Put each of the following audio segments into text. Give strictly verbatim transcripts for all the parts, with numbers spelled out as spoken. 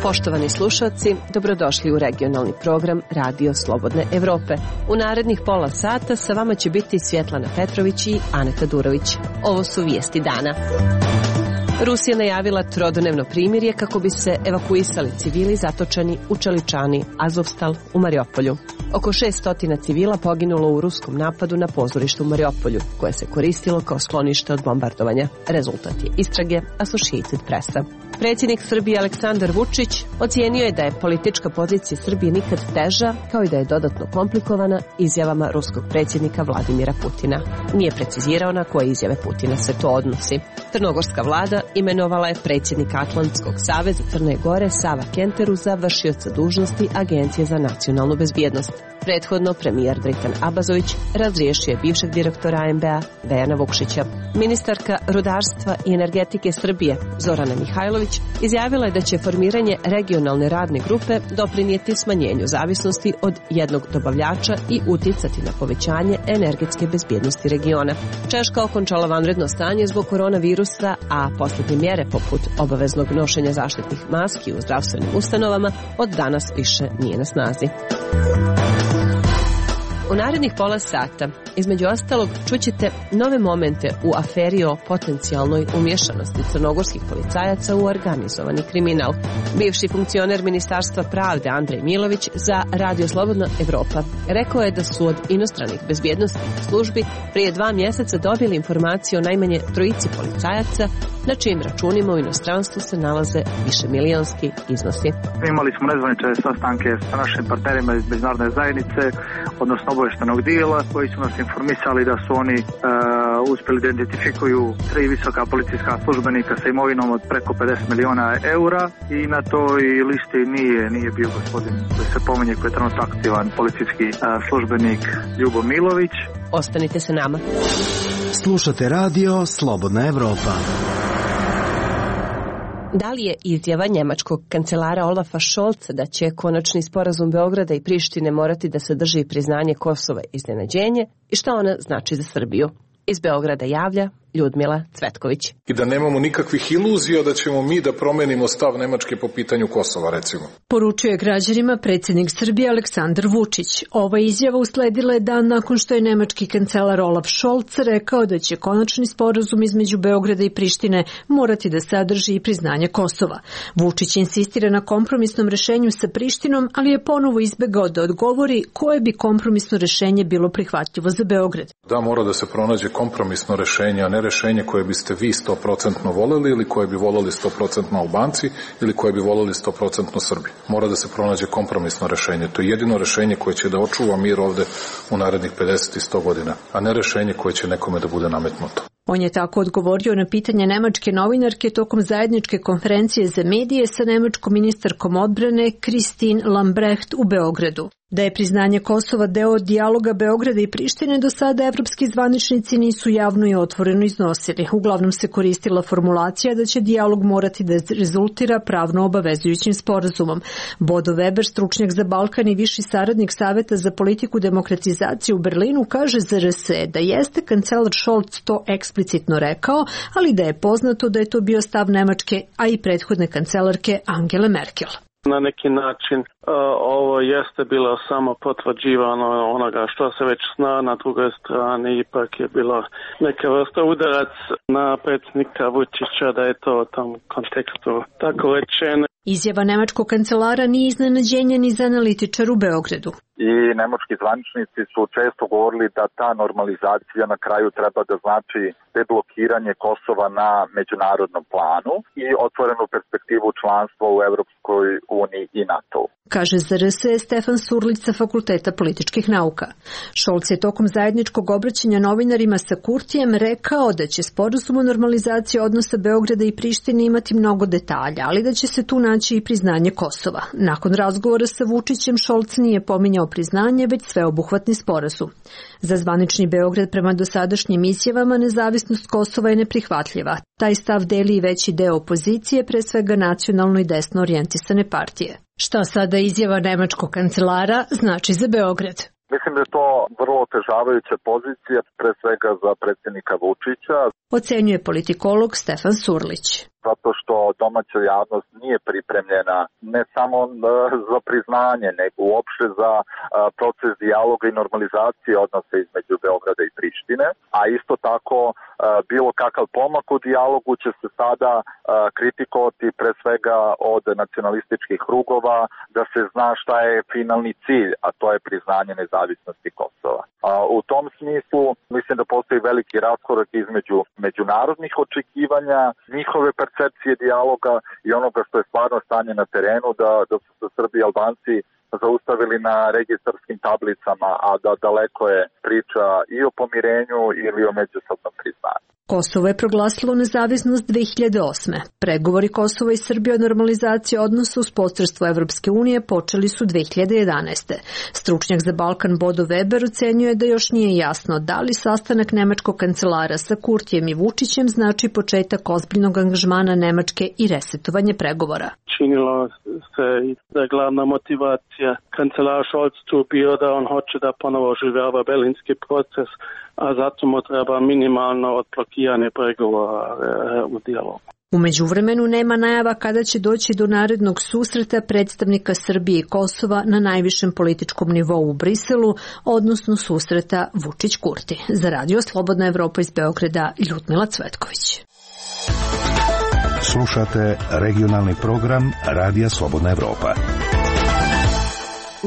Poštovani slušalci, dobrodošli u regionalni program Radio Slobodne Evrope. U narednih pola sata sa vama će biti Svjetlana Petrović i Aneta Durović. Ovo su vijesti dana. Rusija najavila trodnevno primirje kako bi se evakuisali civili zatočeni u čeličani Azovstal u Mariupolju. Oko šessto civila poginulo u ruskom napadu na pozorište u Mariupolju, koje se koristilo kao sklonište od bombardovanja. Rezultat je istrage Associated Pressa. Predsjednik Srbije Aleksandar Vučić ocijenio je da je politička pozicija Srbije nikad teža, kao i da je dodatno komplikovana izjavama ruskog predsjednika Vladimira Putina. Nije precizirao na koje izjave Putina se to odnosi. Crnogorska vlada imenovala je predsjednika Atlantskog saveza Crne Gore Sava Kenteru za vršioca dužnosti Agencije za nacionalnu bezbjednost. Prethodno premijer Dritan Abazović razriješio je bivšeg direktora A M B A Dejana Vukšića. Ministarka rudarstva i energetike Srbije Zorana Mihajlović izjavila je da će formiranje regionalne radne grupe doprinijeti smanjenju zavisnosti od jednog dobavljača i uticati na povećanje energetske bezbjednosti regiona. Češka okončala vanredno stanje zbog koronavirusa, a posljednje mjere poput obaveznog nošenja zaštitnih maski u zdravstvenim ustanovama od danas više nije na snazi. U narednih pola sata, između ostalog, čućete nove momente u aferi o potencijalnoj umješanosti crnogorskih policajaca u organizovani kriminal. Bivši funkcioner Ministarstva pravde Andrej Milović za Radio Slobodna Evropa rekao je da su od inostranih bezbjednosnih službi prije dva mjeseca dobili informaciju o najmanje trojici policajaca na čijim računima u inostranstvu se nalaze višemilijonski iznosi. Imali smo nezvanične sastanke sa našim partnerima iz međunarodne zajednice, odnosno obavještajnog dijela, koji su nas informisali da su oni uh, uspjeli da identifikuju tri visoka policijska službenika sa imovinom od preko pedeset miliona eura i na toj listi nije, nije bio gospodin koji se pominje, koji je trenutno aktivan policijski uh, službenik Ljubo Milović. Ostanite sa nama. Slušate Radio Slobodna Evropa. Da li je izjava njemačkog kancelara Olafa Scholza da će konačni sporazum Beograda i Prištine morati da sadrži priznanje Kosova iznenađenje i šta ona znači za Srbiju? Iz Beograda javlja Ljudmila Cvetković. I da nemamo nikakvih iluzija da ćemo mi da promenimo stav Nemačke po pitanju Kosova, recimo. Poručuje građanima predsjednik Srbije Aleksandar Vučić. Ova izjava usledila je dan nakon što je nemački kancelar Olaf Scholz rekao da će konačni sporazum između Beograda i Prištine morati da sadrži i priznanje Kosova. Vučić insistira na kompromisnom rešenju sa Prištinom, ali je ponovo izbegao da odgovori koje bi kompromisno rešenje bilo prihvatljivo za Beograd. Da, mora da se pronađe kompromisno rešenje, a ne rešenje koje biste vi sto procentno voleli ili koje bi voleli sto procentno Albanci ili koje bi voleli sto procentno Srbi. Mora da se pronađe kompromisno rešenje. To je jedino rešenje koje će da očuva mir ovde u narednih pedeset i sto godina, a ne rešenje koje će nekome da bude nametnuto. On je tako odgovorio na pitanje nemačke novinarke tokom zajedničke konferencije za medije sa nemačkom ministarkom odbrane Christine Lambrecht u Beogradu. Da je priznanje Kosova deo dijaloga Beograda i Prištine, do sada evropski zvaničnici nisu javno i otvoreno iznosili. Uglavnom se koristila formulacija da će dijalog morati da rezultira pravno obavezujućim sporazumom. Bodo Weber, stručnjak za Balkan i viši saradnik Saveta za politiku demokratizacije u Berlinu, kaže za R S da jeste kancelar Scholz to eksplicitno rekao, ali da je poznato da je to bio stav Nemačke, a i prethodne kancelarke Angele Merkel. Na neki način uh, ovo jeste bilo samo potvrđivano onoga što se već zna, na drugoj strani ipak je bilo neka vrsta udarac na predsjednika Vučića da je to u tom kontekstu tako rečeno. Izjava nemačkog kancelara nije iznenađenje ni za analitičar u Beogradu. I nemački zvaničnici su često govorili da ta normalizacija na kraju treba da znači deblokiranje Kosova na međunarodnom planu i otvorenu perspektivu članstva u Evropskoj uniji i NATO. Kaže za R S Stefan Surlić sa Fakulteta političkih nauka. Scholz je tokom zajedničkog obraćanja novinarima sa Kurtijem rekao da će sporazum o normalizaciji odnosa Beograda i Prištine imati mnogo detalja, ali da će se tu naći i priznanje Kosova. Nakon razgovora sa Vučićem, Scholz nije pominjao priznanje, već sveobuhvatni sporazum. Za zvanični Beograd prema dosadašnjim izjavama nezavisnost Kosova je neprihvatljiva. Taj stav deli i veći deo opozicije, pre svega nacionalno i desno orijentisane partije. Šta sada izjava nemačkog kancelara znači za Beograd? Mislim da je to vrlo otežavajuća pozicija, pre svega za predsjednika Vučića. Ocenjuje politikolog Stefan Surlić. Zato što domaća javnost nije pripremljena ne samo za priznanje, nego uopšte za proces dijaloga i normalizacije odnosa između Beograda i Prištine, a isto tako bilo kakav pomak u dijalogu će se sada kritikovati pre svega od nacionalističkih krugova, da se zna šta je finalni cilj, a to je priznanje nezavisnosti Kosova. U tom smislu mislim da postoji veliki raskorak između međunarodnih očekivanja, njihove percepcije dijaloga i onoga što je stvarno stanje na terenu, da, da su se Srbi i Albanci zaustavili na registarskim tablicama, a da daleko je priča i o pomirenju ili o međusobnom priznanju. Kosovo je proglasilo nezavisnost dve hiljade osme. Pregovori Kosova i Srbije o normalizaciji odnosa uz posredstvo Evropske unije počeli su dve hiljade jedanaeste. Stručnjak za Balkan Bodo Weber ocenjuje da još nije jasno da li sastanak nemačkog kancelara sa Kurtijem i Vučićem znači početak ozbiljnog angažmana Nemačke i resetovanje pregovora. Činilo se da je glavna motivacija kancelara Scholz tu bio da on hoće da ponovo oživljava berlinski proces, a zato mu treba minimalno odblokiranje pregovora u dijalogu. U međuvremenu nema najava kada će doći do narednog susreta predstavnika Srbije i Kosova na najvišem političkom nivou u Briselu, odnosno susreta Vučić-Kurti. Za Radio Slobodna Evropa iz Beograda, Ljudmila Cvetković. Slušate regionalni program Radija Slobodna Evropa.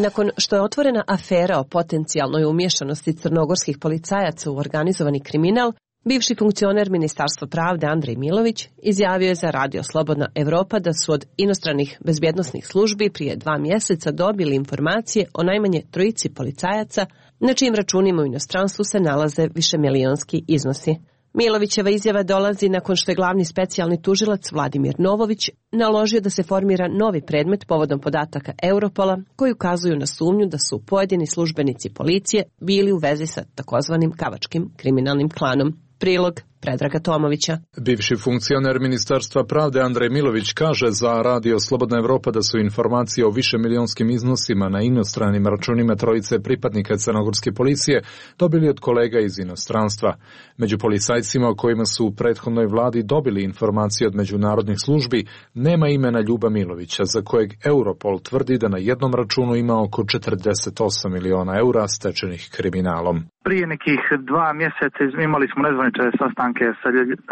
Nakon što je otvorena afera o potencijalnoj umješanosti crnogorskih policajaca u organizovani kriminal, bivši funkcioner Ministarstva pravde Andrej Milović izjavio je za Radio Slobodna Evropa da su od inostranih bezbjednosnih službi prije dva mjeseca dobili informacije o najmanje trojici policajaca na čijim računima u inostranstvu se nalaze višemilijonski iznosi. Milovićeva izjava dolazi nakon što je glavni specijalni tužilac Vladimir Novović naložio da se formira novi predmet povodom podataka Europola koji ukazuju na sumnju da su pojedini službenici policije bili u vezi sa takozvanim kavačkim kriminalnim klanom. Prilog Predraga Tomovića. Bivši funkcioner Ministarstva pravde Andrej Milović kaže za Radio Slobodna Evropa da su informacije o višemilijonskim iznosima na inostranim računima trojice pripadnika crnogorske policije dobili od kolega iz inostranstva. Među policajcima o kojima su u prethodnoj vladi dobili informacije od međunarodnih službi nema imena Ljuba Milovića, za kojeg Europol tvrdi da na jednom računu ima oko četrdeset osam miliona eura stečenih kriminalom. Prije nekih dva mjeseca imali smo nezvanične sastanke sa,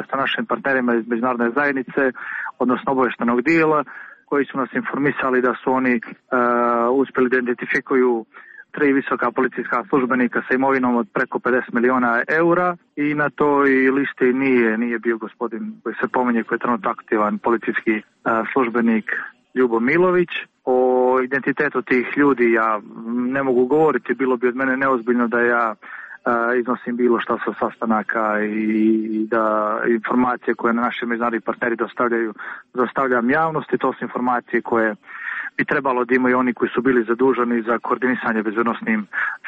sa našim partnerima iz međunarodne zajednice, odnosno obavještajnog dijela, koji su nas informisali da su oni uh, uspjeli da identifikuju tri visoka policijska službenika sa imovinom od preko pedeset miliona eura i na toj listi nije, nije bio gospodin koji se pominje, koji je trenutno aktivan policijski uh, službenik Ljubo Milović. O identitetu tih ljudi ja ne mogu govoriti, bilo bi od mene neozbiljno da ja iznosim bilo šta sa sastanaka i da informacije koje naši međunarodni partneri dostavljaju, dostavljam javnosti, to su informacije koje bi trebalo da imaju oni koji su bili zaduženi za koordinisanje bezbednosnim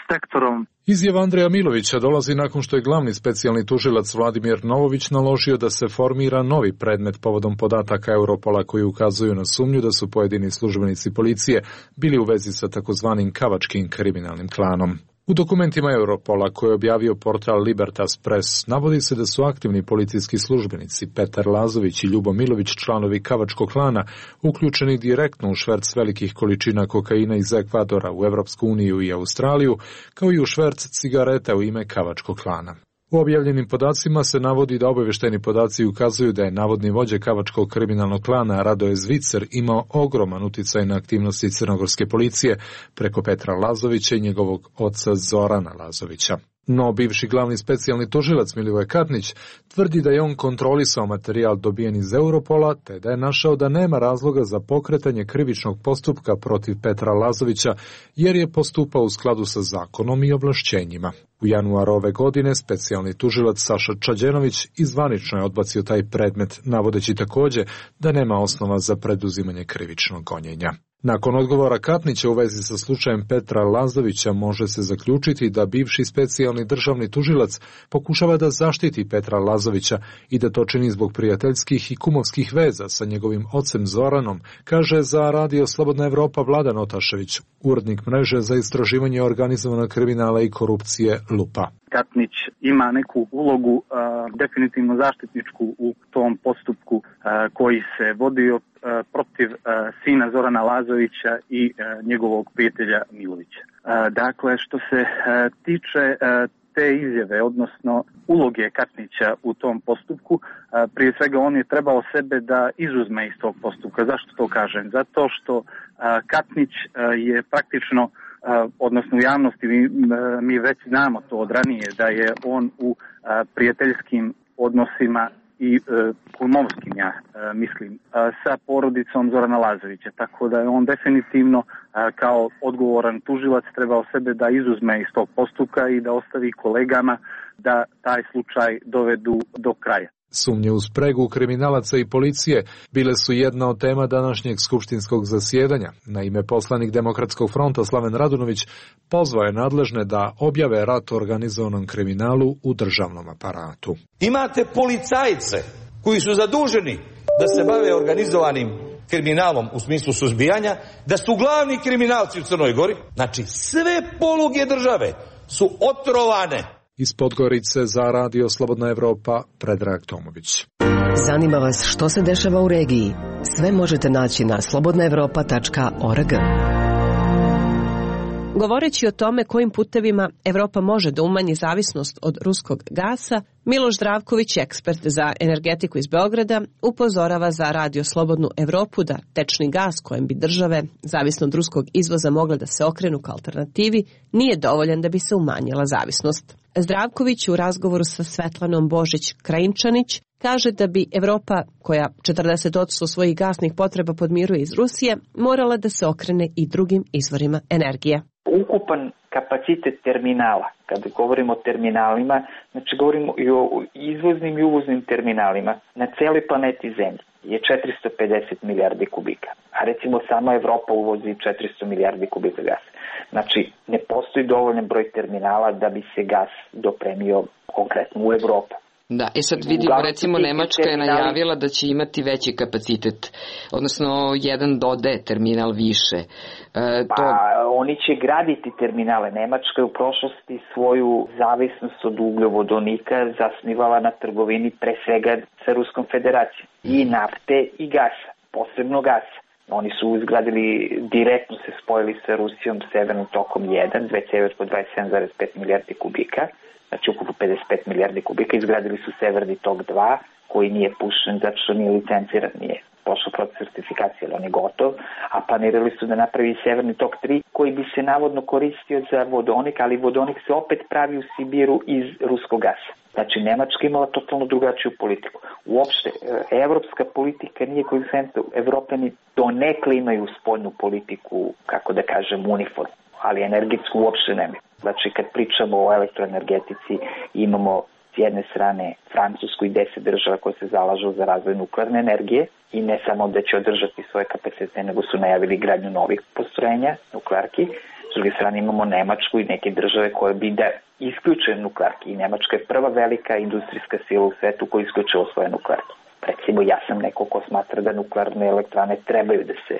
sektorom. Izjava Andreja Milovića dolazi nakon što je glavni specijalni tužilac Vladimir Novović naložio da se formira novi predmet povodom podataka Europola koji ukazuju na sumnju da su pojedini službenici policije bili u vezi sa takozvanim kavačkim kriminalnim klanom. U dokumentima Europola koje je objavio portal Libertas Press navodi se da su aktivni policijski službenici Petar Lazović i Ljubo Milović, članovi kavačkog klana, uključeni direktno u šverc velikih količina kokaina iz Ekvadora u Evropsku uniju i Australiju, kao i u šverc cigareta u ime kavačkog klana. U objavljenim podacima se navodi da obavještajni podaci ukazuju da je navodni vođa kavačkog kriminalnog klana Radoje Zvicer imao ogroman uticaj na aktivnosti crnogorske policije preko Petra Lazovića i njegovog oca Zorana Lazovića. No, bivši glavni specijalni tužilac Milivoje Katnić tvrdi da je on kontrolisao materijal dobijen iz Europola, te da je našao da nema razloga za pokretanje krivičnog postupka protiv Petra Lazovića, jer je postupao u skladu sa zakonom i ovlašćenjima. U januaru ove godine specijalni tužilac Saša Čađenović izvanično je odbacio taj predmet, navodeći također da nema osnova za preduzimanje krivičnog gonjenja. Nakon odgovora Katnića u vezi sa slučajem Petra Lazovića može se zaključiti da bivši specijalni državni tužilac pokušava da zaštiti Petra Lazovića i da to čini zbog prijateljskih i kumovskih veza sa njegovim ocem Zoranom, kaže za Radio Slobodna Evropa Vladan Otašević, urednik mreže za istraživanje organizovanog kriminala i korupcije Lupa. Katnić ima neku ulogu, a, definitivno zaštitničku u tom postupku a, koji se vodio a, protiv a, sina Zorana Lazovića i a, njegovog prijatelja Milovića. A, dakle, što se a, tiče a, te izjave, odnosno uloge Katnića u tom postupku, a, prije svega on je trebao sebe da izuzme iz tog postupka. Zašto to kažem? Zato što a, Katnić a, je praktično Uh, odnosno u javnosti mi, uh, mi već znamo to od ranije da je on u uh, prijateljskim odnosima i uh, kumovskim, ja uh, mislim, uh, sa porodicom Zorana Lazovića, tako da je on definitivno uh, kao odgovoran tužilac trebao sebe da izuzme iz tog postupka i da ostavi kolegama da taj slučaj dovedu do kraja. Sumnje u spregu kriminalaca i policije bile su jedna od tema današnjeg skupštinskog zasjedanja. Naime, poslanik Demokratskog fronta Slaven Radunović pozvao je nadležne da objave rat organizovanom kriminalu u državnom aparatu. Imate policajce koji su zaduženi da se bave organizovanim kriminalom u smislu suzbijanja, da su glavni kriminalci u Crnoj Gori. Znači, sve poluge države su otrovane. Iz Podgorice za Radio Slobodna Evropa, Predrag Tomović. Zanima vas što se dešava u regiji? Sve možete naći na slobodna evropa tačka org. Govoreći o tome kojim putevima Evropa može da umanji zavisnost od ruskog gasa, Miloš Zdravković, ekspert za energetiku iz Beograda, upozorava za Radio Slobodnu Evropu da tečni gas kojem bi države, zavisno od ruskog izvoza, mogle da se okrenu kao alternativi, nije dovoljan da bi se umanjila zavisnost. Zdravković u razgovoru sa Svetlanom Božić-Krajinčanić kaže da bi Evropa, koja četrdeset posto svojih gasnih potreba podmiruje iz Rusije, morala da se okrene i drugim izvorima energije. Ukupan kapacitet terminala, kada govorimo o terminalima, znači govorimo i o izvoznim i uvoznim terminalima na celoj planeti Zemlji je četiristo pedeset milijardi kubika. A recimo sama Evropa uvozi četiristo milijardi kubika gasa. Znači ne postoji dovoljan broj terminala da bi se gas dopremio konkretno u Evropu. Da, i sad vidimo, recimo Nemačka je najavila da će imati veći kapacitet, odnosno jedan do D terminal više. E, to... Pa oni će graditi terminale. Nemačka je u prošlosti svoju zavisnost od ugljovodonika zasnivala na trgovini pre svega sa Ruskom federacijom. I nafte i gasa, posebno gasa. Oni su izgradili, direktno se spojili sa Rusijom Severnim tokom jedan, dve cevi po dvadeset sedam zarez pet milijardi kubika. Znači ukupno pedeset pet milijardi kubika, izgradili su Severni tok dva, koji nije pušen zato što nije licenciran, nije pošao proces certifikacije, ali on je gotov, a planirali su da napravi Severni tok tri, koji bi se navodno koristio za vodonik, ali vodonik se opet pravi u Sibiru iz ruskog gasa. Znači, Nemačka imala totalno drugačiju politiku. Uopšte, evropska politika nije konzistentna. Evropljani donekle imaju spoljnu politiku, kako da kažem, uniformu, ali energetsku uopšte nemaju. Znači, kad pričamo o elektroenergetici, imamo s jedne strane Francusku i deset država koje se zalažu za razvoj nuklearne energije i ne samo da će održati svoje kapacitete, nego su najavili gradnju novih postrojenja, nuklearki. S druge strane imamo Nemačku i neke države koje bi da isključe nuklearki. I Nemačka je prva velika industrijska sila u svetu koja isključila svoje nuklearke. Recimo, ja sam neko ko smatra da nuklearne elektrane trebaju da se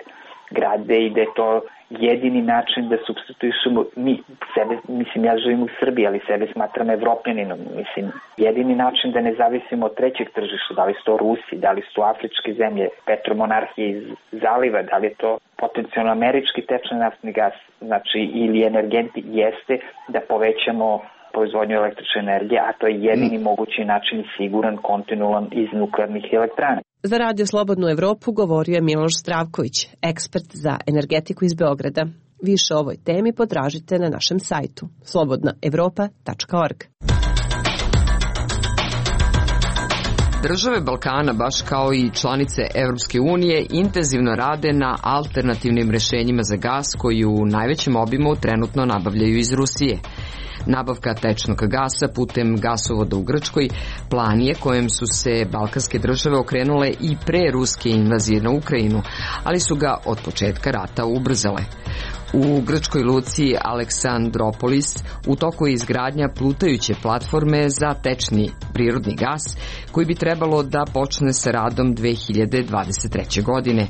grade i da je to jedini način da supstituišemo mi sebe, mislim ja živim u Srbiji, ali sebe smatram Evropljaninom, mislim jedini način da ne zavisimo od trećeg tržišta, da li su to Rusi, da li su to afričke zemlje, petromonarhije iz zaliva, da li je to potencijalno američki tečni naftni gas, znači ili energenti, jeste da povećamo proizvodnju električne energije, a to je jedini mm. mogući način i siguran, kontinualan iz nuklearnih elektrana. Za Radio Slobodnu Evropu govorio je Miloš Zdravković, ekspert za energetiku iz Beograda. Više o ovoj temi potražite na našem sajtu slobodna evropa tačka org. Države Balkana, baš kao i članice Evropske unije, intenzivno rade na alternativnim rešenjima za gas koji u najvećem obimu trenutno nabavljaju iz Rusije. Nabavka tečnog gasa putem gasovoda u Grčkoj plan je kojem su se balkanske države okrenule i pre ruske invazije na Ukrajinu, ali su ga od početka rata ubrzale. U grčkoj luci Aleksandropolis u toku je izgradnja plutajuće platforme za tečni prirodni gas koji bi trebalo da počne sa radom dve hiljade dvadeset treće. godine.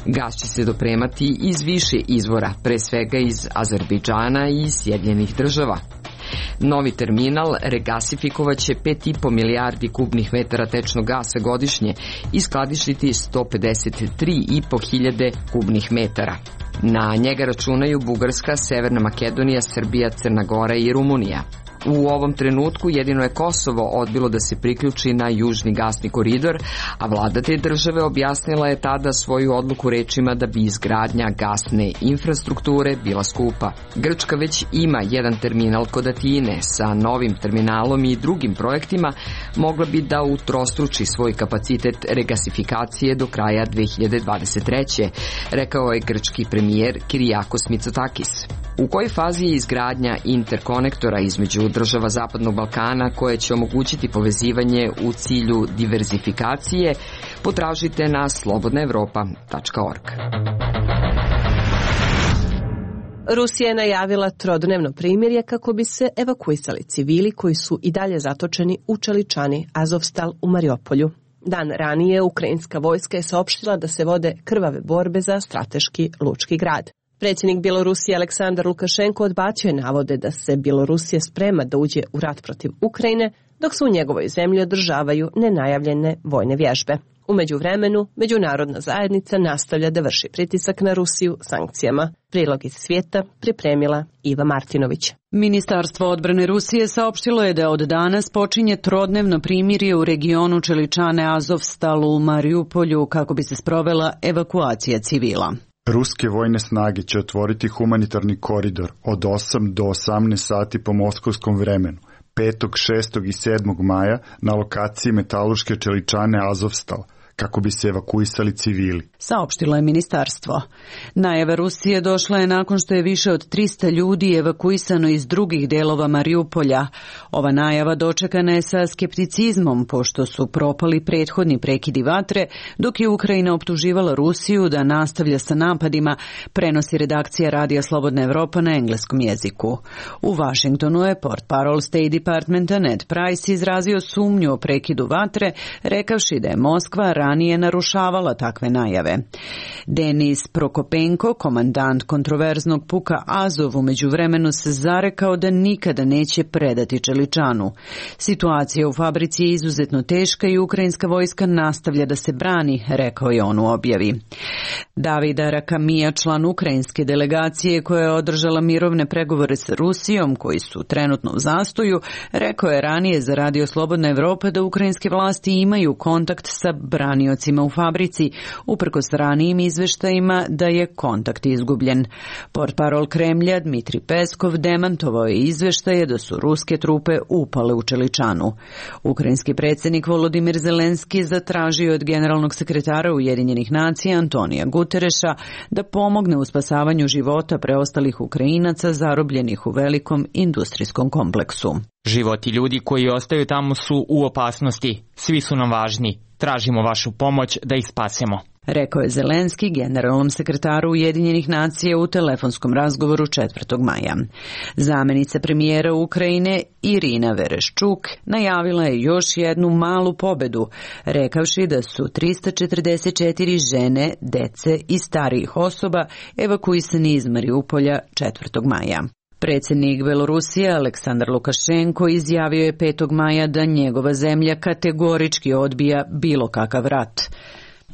Gas će se dopremati iz više izvora, pre svega iz Azerbejdžana i Sjedinjenih država. Novi terminal regasifikovaće pet i po milijardi kubnih metara tečnog gasa godišnje i skladištiti sto pedeset tri i po hiljade kubnih metara. Na njega računaju Bugarska, Severna Makedonija, Srbija, Crna Gora i Rumunija. U ovom trenutku jedino je Kosovo odbilo da se priključi na južni gasni koridor, a vlada te države objasnila je tada svoju odluku rečima da bi izgradnja gasne infrastrukture bila skupa. Grčka već ima jedan terminal kod Atine. Sa novim terminalom i drugim projektima mogla bi da utrostruči svoj kapacitet regasifikacije do kraja dve hiljade dvadeset treće. rekao je grčki premijer Kyriakos Mitsotakis. U kojoj fazi je izgradnja interkonektora između država Zapadnog Balkana koje će omogućiti povezivanje u cilju diverzifikacije, potražite na slobodna evropa tačka org. Rusija je najavila trodnevno primirje kako bi se evakuisali civili koji su i dalje zatočeni u čeličani Azovstal u Mariupolju. Dan ranije ukrajinska vojska je saopštila da se vode krvave borbe za strateški lučki grad. Predsjednik Bjelorusije Aleksandar Lukašenko odbacio je navode da se Bjelorusija sprema da uđe u rat protiv Ukrajine, dok se u njegovoj zemlji održavaju nenajavljene vojne vježbe. U međuvremenu, međunarodna zajednica nastavlja da vrši pritisak na Rusiju sankcijama. Prilog iz svijeta pripremila Iva Martinović. Ministarstvo odbrane Rusije saopštilo je da od danas počinje trodnevno primirje u regionu čeličane Azovstalu u Mariupolju kako bi se sprovela evakuacija civila. Ruske vojne snage će otvoriti humanitarni koridor od osam do osamnaest sati po moskovskom vremenu, petog, šestog i sedmog maja na lokaciji metalurške čeličane Azovstal, kako bi se evakuisali civili. Saopštilo je ministarstvo. Najava Rusije došla je nakon što je više od trista ljudi evakuisano iz drugih delova Mariupolja. Ova najava dočekana je sa skepticizmom, pošto su propali prethodni prekidi vatre, dok je Ukrajina optuživala Rusiju da nastavlja sa napadima, prenosi redakcija Radija Slobodna Evropa na engleskom jeziku. U Vašingtonu je portparol State Departmenta Ned Price izrazio sumnju o prekidu vatre, rekavši da je Moskva ranije narušavala takve najave. Denis Prokopenko, komandant kontroverznog puka Azov, u međuvremenu se zarekao da nikada neće predati čeličanu. Situacija u fabrici je izuzetno teška i ukrajinska vojska nastavlja da se brani, rekao je on u objavi. Davida Rakamija, član ukrajinske delegacije koja je održala mirovne pregovore sa Rusijom, koji su trenutno u zastoju, rekao je ranije za Radio Slobodna Evropa da ukrajinske vlasti imaju kontakt sa braniocima u fabrici, uprkos ranijim izveštajima da je kontakt izgubljen. Portparol Kremlja Dmitri Peskov demantovao je izveštaje da su ruske trupe upale u čeličanu. Ukrajinski predsjednik Volodimir Zelenski zatražio od generalnog sekretara Ujedinjenih nacija Antonija Gutereša da pomogne u spasavanju života preostalih Ukrajinaca zarobljenih u velikom industrijskom kompleksu. Životi ljudi koji ostaju tamo su u opasnosti. Svi su nam važni. Tražimo vašu pomoć da ih spasemo, rekao je Zelenski generalnom sekretaru Ujedinjenih nacija u telefonskom razgovoru četvrtog maja. Zamenica premijera Ukrajine Irina Vereščuk najavila je još jednu malu pobedu, rekavši da su trista četrdeset četiri žene, dece i starijih osoba evakuisani iz Mariupolja četvrtog maja. Predsjednik Belorusije Aleksandar Lukašenko izjavio je petog maja da njegova zemlja kategorički odbija bilo kakav rat.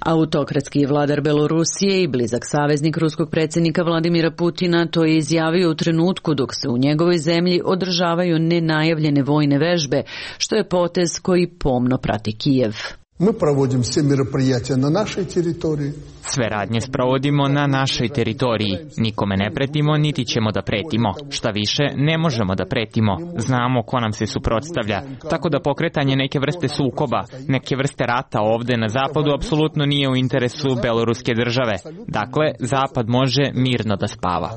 Autokratski vladar Belorusije i blizak saveznik ruskog predsjednika Vladimira Putina to je izjavio u trenutku dok se u njegovoj zemlji održavaju nenajavljene vojne vežbe, što je potez koji pomno prati Kijev. Mi provodimo sve мероприятия na našoj teritoriji. Sve radnje sprovodimo na našoj teritoriji. Nikome ne pretimo, niti ćemo da pretimo. Šta više, ne možemo da pretimo. Znamo ko nam se suprotstavlja. Tako da pokretanje neke vrste sukoba, neke vrste rata ovde na zapadu apsolutno nije u interesu beloruske države. Dakle, zapad može mirno da spava.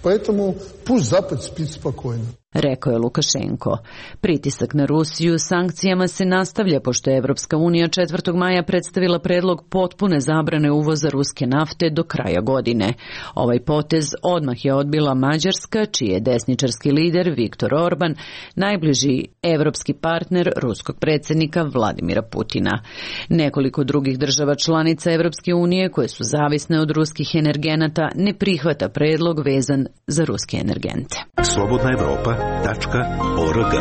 Поэтому пусть запад спит спокойно. rekao je Lukašenko. Pritisak na Rusiju sankcijama se nastavlja pošto je Evropska unija četvrtog maja predstavila predlog potpune zabrane uvoza ruske nafte do kraja godine. Ovaj potez odmah je odbila Mađarska, čiji je desničarski lider Viktor Orban najbliži evropski partner ruskog predsjednika Vladimira Putina. Nekoliko drugih država članica Evropske unije koje su zavisne od ruskih energenata ne prihvata predlog vezan za ruske energente. Slobodna Evropa .org.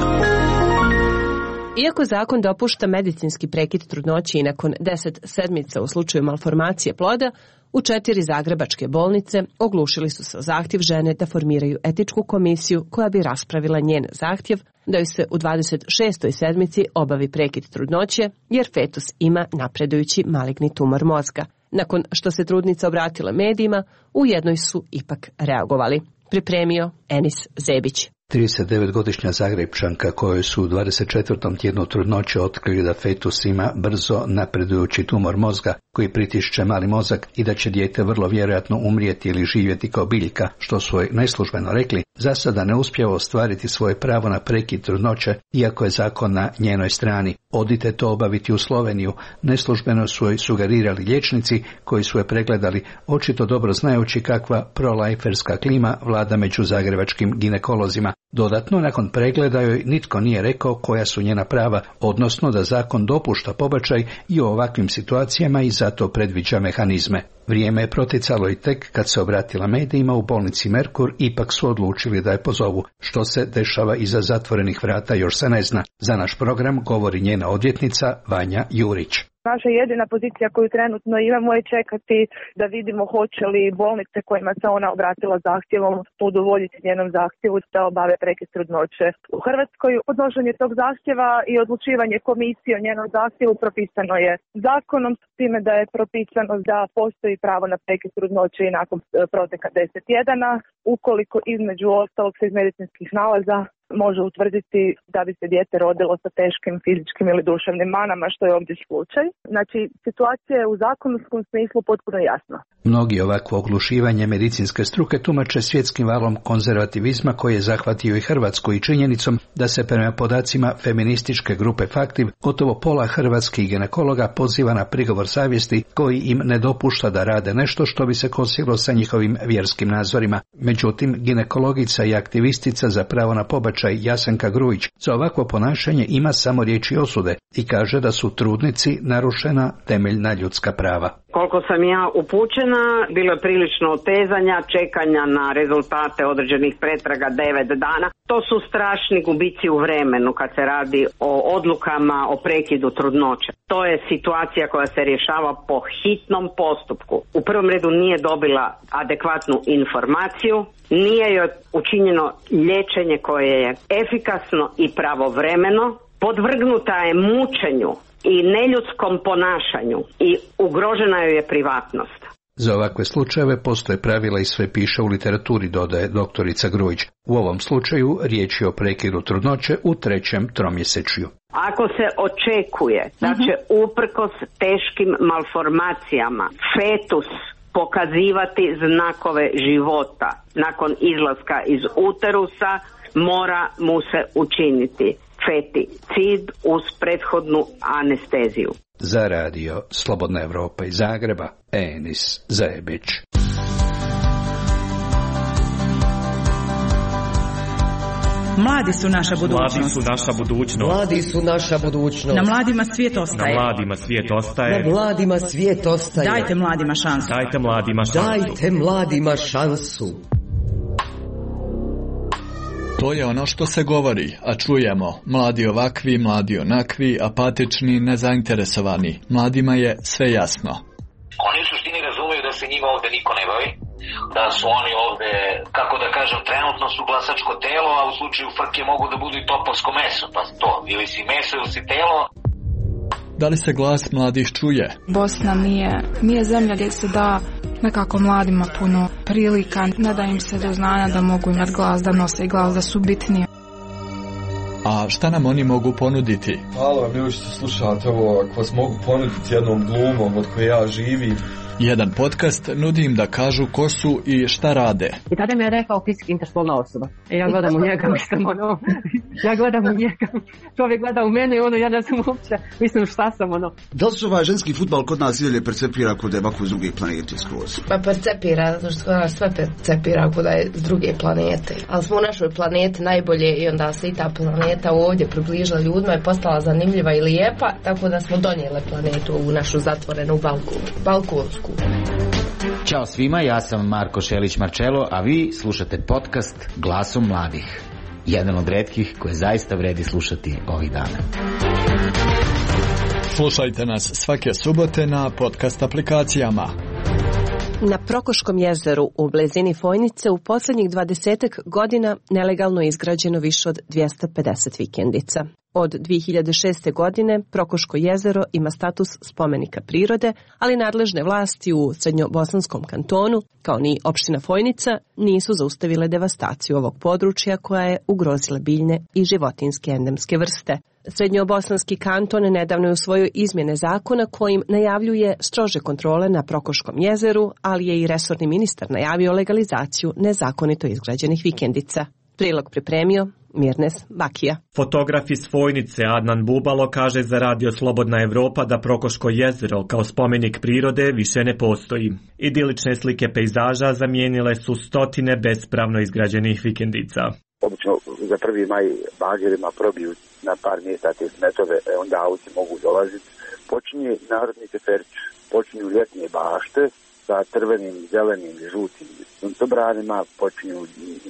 Iako zakon dopušta medicinski prekid trudnoće i nakon deset sedmica u slučaju malformacije ploda, u četiri zagrebačke bolnice oglušili su se o zahtjev žene da formiraju etičku komisiju koja bi raspravila njen zahtjev da joj se u dvadeset šestoj sedmici obavi prekid trudnoće jer fetus ima napredujući maligni tumor mozga. Nakon što se trudnica obratila medijima, u jednoj su ipak reagovali. Pripremio Enis Zebić. tridesetdevetgodišnja Zagrebčanka kojoj su u dvadeset četvrtom tjednu trudnoće otkrili da fetus ima brzo napredujući tumor mozga koji pritišće mali mozak i da će dijete vrlo vjerojatno umrijeti ili živjeti kao biljka, što su joj neslužbeno rekli, za sada ne uspijeva ostvariti svoje pravo na prekid trudnoće, iako je zakon na njenoj strani. Odite to obaviti u Sloveniju, neslužbeno su joj sugerirali liječnici koji su je pregledali, očito dobro znajući kakva proliferska klima vlada među zagrebačkim ginekolozima. Dodatno, nakon pregleda joj nitko nije rekao koja su njena prava, odnosno da zakon dopušta pobačaj i u ovakvim situacijama i zato predviđa mehanizme. Vrijeme je proticalo i tek kad se obratila medijima u bolnici Merkur, ipak su odlučili da je pozovu. Što se dešava iza zatvorenih vrata još se ne zna. Za naš program govori njena odvjetnica Vanja Jurić. Naša jedina pozicija koju trenutno imamo je čekati da vidimo hoće li bolnice kojima se ona obratila zahtjevom udovoljiti njenom zahtjevu da obave prekid trudnoće. U Hrvatskoj podnošenje tog zahtjeva i odlučivanje komisije o njenom zahtjevu propisano je zakonom, s time da je propisano da postoji pravo na prekid trudnoće i nakon proteka deset tjedana, ukoliko između ostalog se iz medicinskih nalaza može utvrditi da bi se dijete rodilo sa teškim fizičkim ili duševnim manama, što je ovdje slučaj. Znači, situacija je u zakonskom smislu potpuno jasna. Mnogi ovakvo oglušivanje medicinske struke tumače svjetskim valom konzervativizma koji je zahvatio i Hrvatsku i činjenicom da se prema podacima feminističke grupe Faktiv gotovo pola hrvatskih ginekologa poziva na prigovor savjesti koji im ne dopušta da rade nešto što bi se kosilo sa njihovim vjerskim nazorima. Međutim, ginekologica i aktivistica za pravo na pobačaj Jasenka Grujić za ovakvo ponašanje ima samo riječi osude i kaže da su trudnici narušena temeljna ljudska prava. Koliko sam ja upućena, bilo je prilično otezanja, čekanja na rezultate određenih pretraga devet dana. To su strašni gubici u vremenu kad se radi o odlukama o prekidu trudnoće. To je situacija koja se rješava po hitnom postupku. U prvom redu nije dobila adekvatnu informaciju, nije joj učinjeno liječenje koje je efikasno i pravovremeno, podvrgnuta je mučenju i neljudskom ponašanju i ugrožena joj je privatnost. Za ovakve slučajeve postoje pravila i sve piše u literaturi, dodaje doktorica Grujić. U ovom slučaju riječ je o prekidu trudnoće u trećem tromjesečju. Ako se očekuje da će uprkos teškim malformacijama fetus pokazivati znakove života nakon izlaska iz uterusa, mora mu se učiniti feticid uz prethodnu anesteziju. Za radio Slobodna Evropa iz Zagreba, Enis Zebić. Mladi su naša budućnost. Mladi su naša budućnost. Mladi su naša budućnost. Na mladima svijet ostaje. Na mladima svijet ostaje. Na mladima svijet ostaje. Dajte mladima šansu. Dajte mladima šansu. Dajte mladima šansu. To je ono što se govori, a čujemo. Mladi ovakvi, mladi onakvi, apatični, nezainteresovani. Mladima je sve jasno. Oni u suštini razumeju da se njima ovde niko ne bavi, da su oni ovde, kako da kažem, trenutno su glasačko telo, a u slučaju frke mogu da budu i topovsko meso, pa to, ili si meso ili si telo. Da li se glas mladih čuje? Bosna nije, nije zemlja gdje se da nekako mladima puno prilika, ne da im se do znanja da mogu imati glas, da nose i glas, da su bitniji. A šta nam oni mogu ponuditi? Hvala vam ljudi što slušate ovo, ako vas mogu ponuditi jednom glumom od koje ja živim, Jedan podcast nudi im da kažu ko su i šta rade. I tada mi je rekao fizički interspolna osoba. E ja gledam u njega, mislim, ono, ja gledam u njega, čovjek gleda u mene i ono, ja ne znam uopće, mislim šta sam, ono. Da li se ovaj ženski fudbal kod nas i dalje percepira kod da je ovako s druge planete skroz? Pa percepira, zato što nas sve percepira kod da je s druge planete. Ali smo u našoj planeti najbolje i onda se i ta planeta ovdje približila ljudima i postala zanimljiva i lijepa, tako da smo donijeli planetu u našu zatvorenu balkonu, balkonsku. Ćao svima, ja sam Marko Šelić-Marčelo, a vi slušate podcast Glasom mladih. Jedan od retkih koje zaista vredi slušati ovih dana. Slušajte nas svake subote na podcast aplikacijama. Na Prokoškom jezeru u blizini Fojnice u posljednjih dvadesetak godina nelegalno je izgrađeno više od dvjesto pedeset vikendica. Od dvije hiljade šeste. godine Prokoško jezero ima status spomenika prirode, ali nadležne vlasti u Srednjobosanskom kantonu, kao ni opština Fojnica, nisu zaustavile devastaciju ovog područja koja je ugrozila biljne i životinjske endemske vrste. Srednjobosanski kanton nedavno je usvojio izmjene zakona kojim najavljuje strože kontrole na Prokoškom jezeru, ali je i resorni ministar najavio legalizaciju nezakonito izgrađenih vikendica. Prilog pripremio Mirnes Bakija. Fotograf iz Fojnice Adnan Bubalo kaže za Radio Slobodna Evropa da Prokoško jezero kao spomenik prirode više ne postoji. Idilične slike pejzaža zamijenile su stotine bespravno izgrađenih vikendica. Obično za prvi maj bagerima probiju na par mjesta te smetove, onda auti mogu dolaziti. Počinje narodni teferić, počinju ljetnje bašte sa crvenim, zelenim i žutim suncobranima, počinju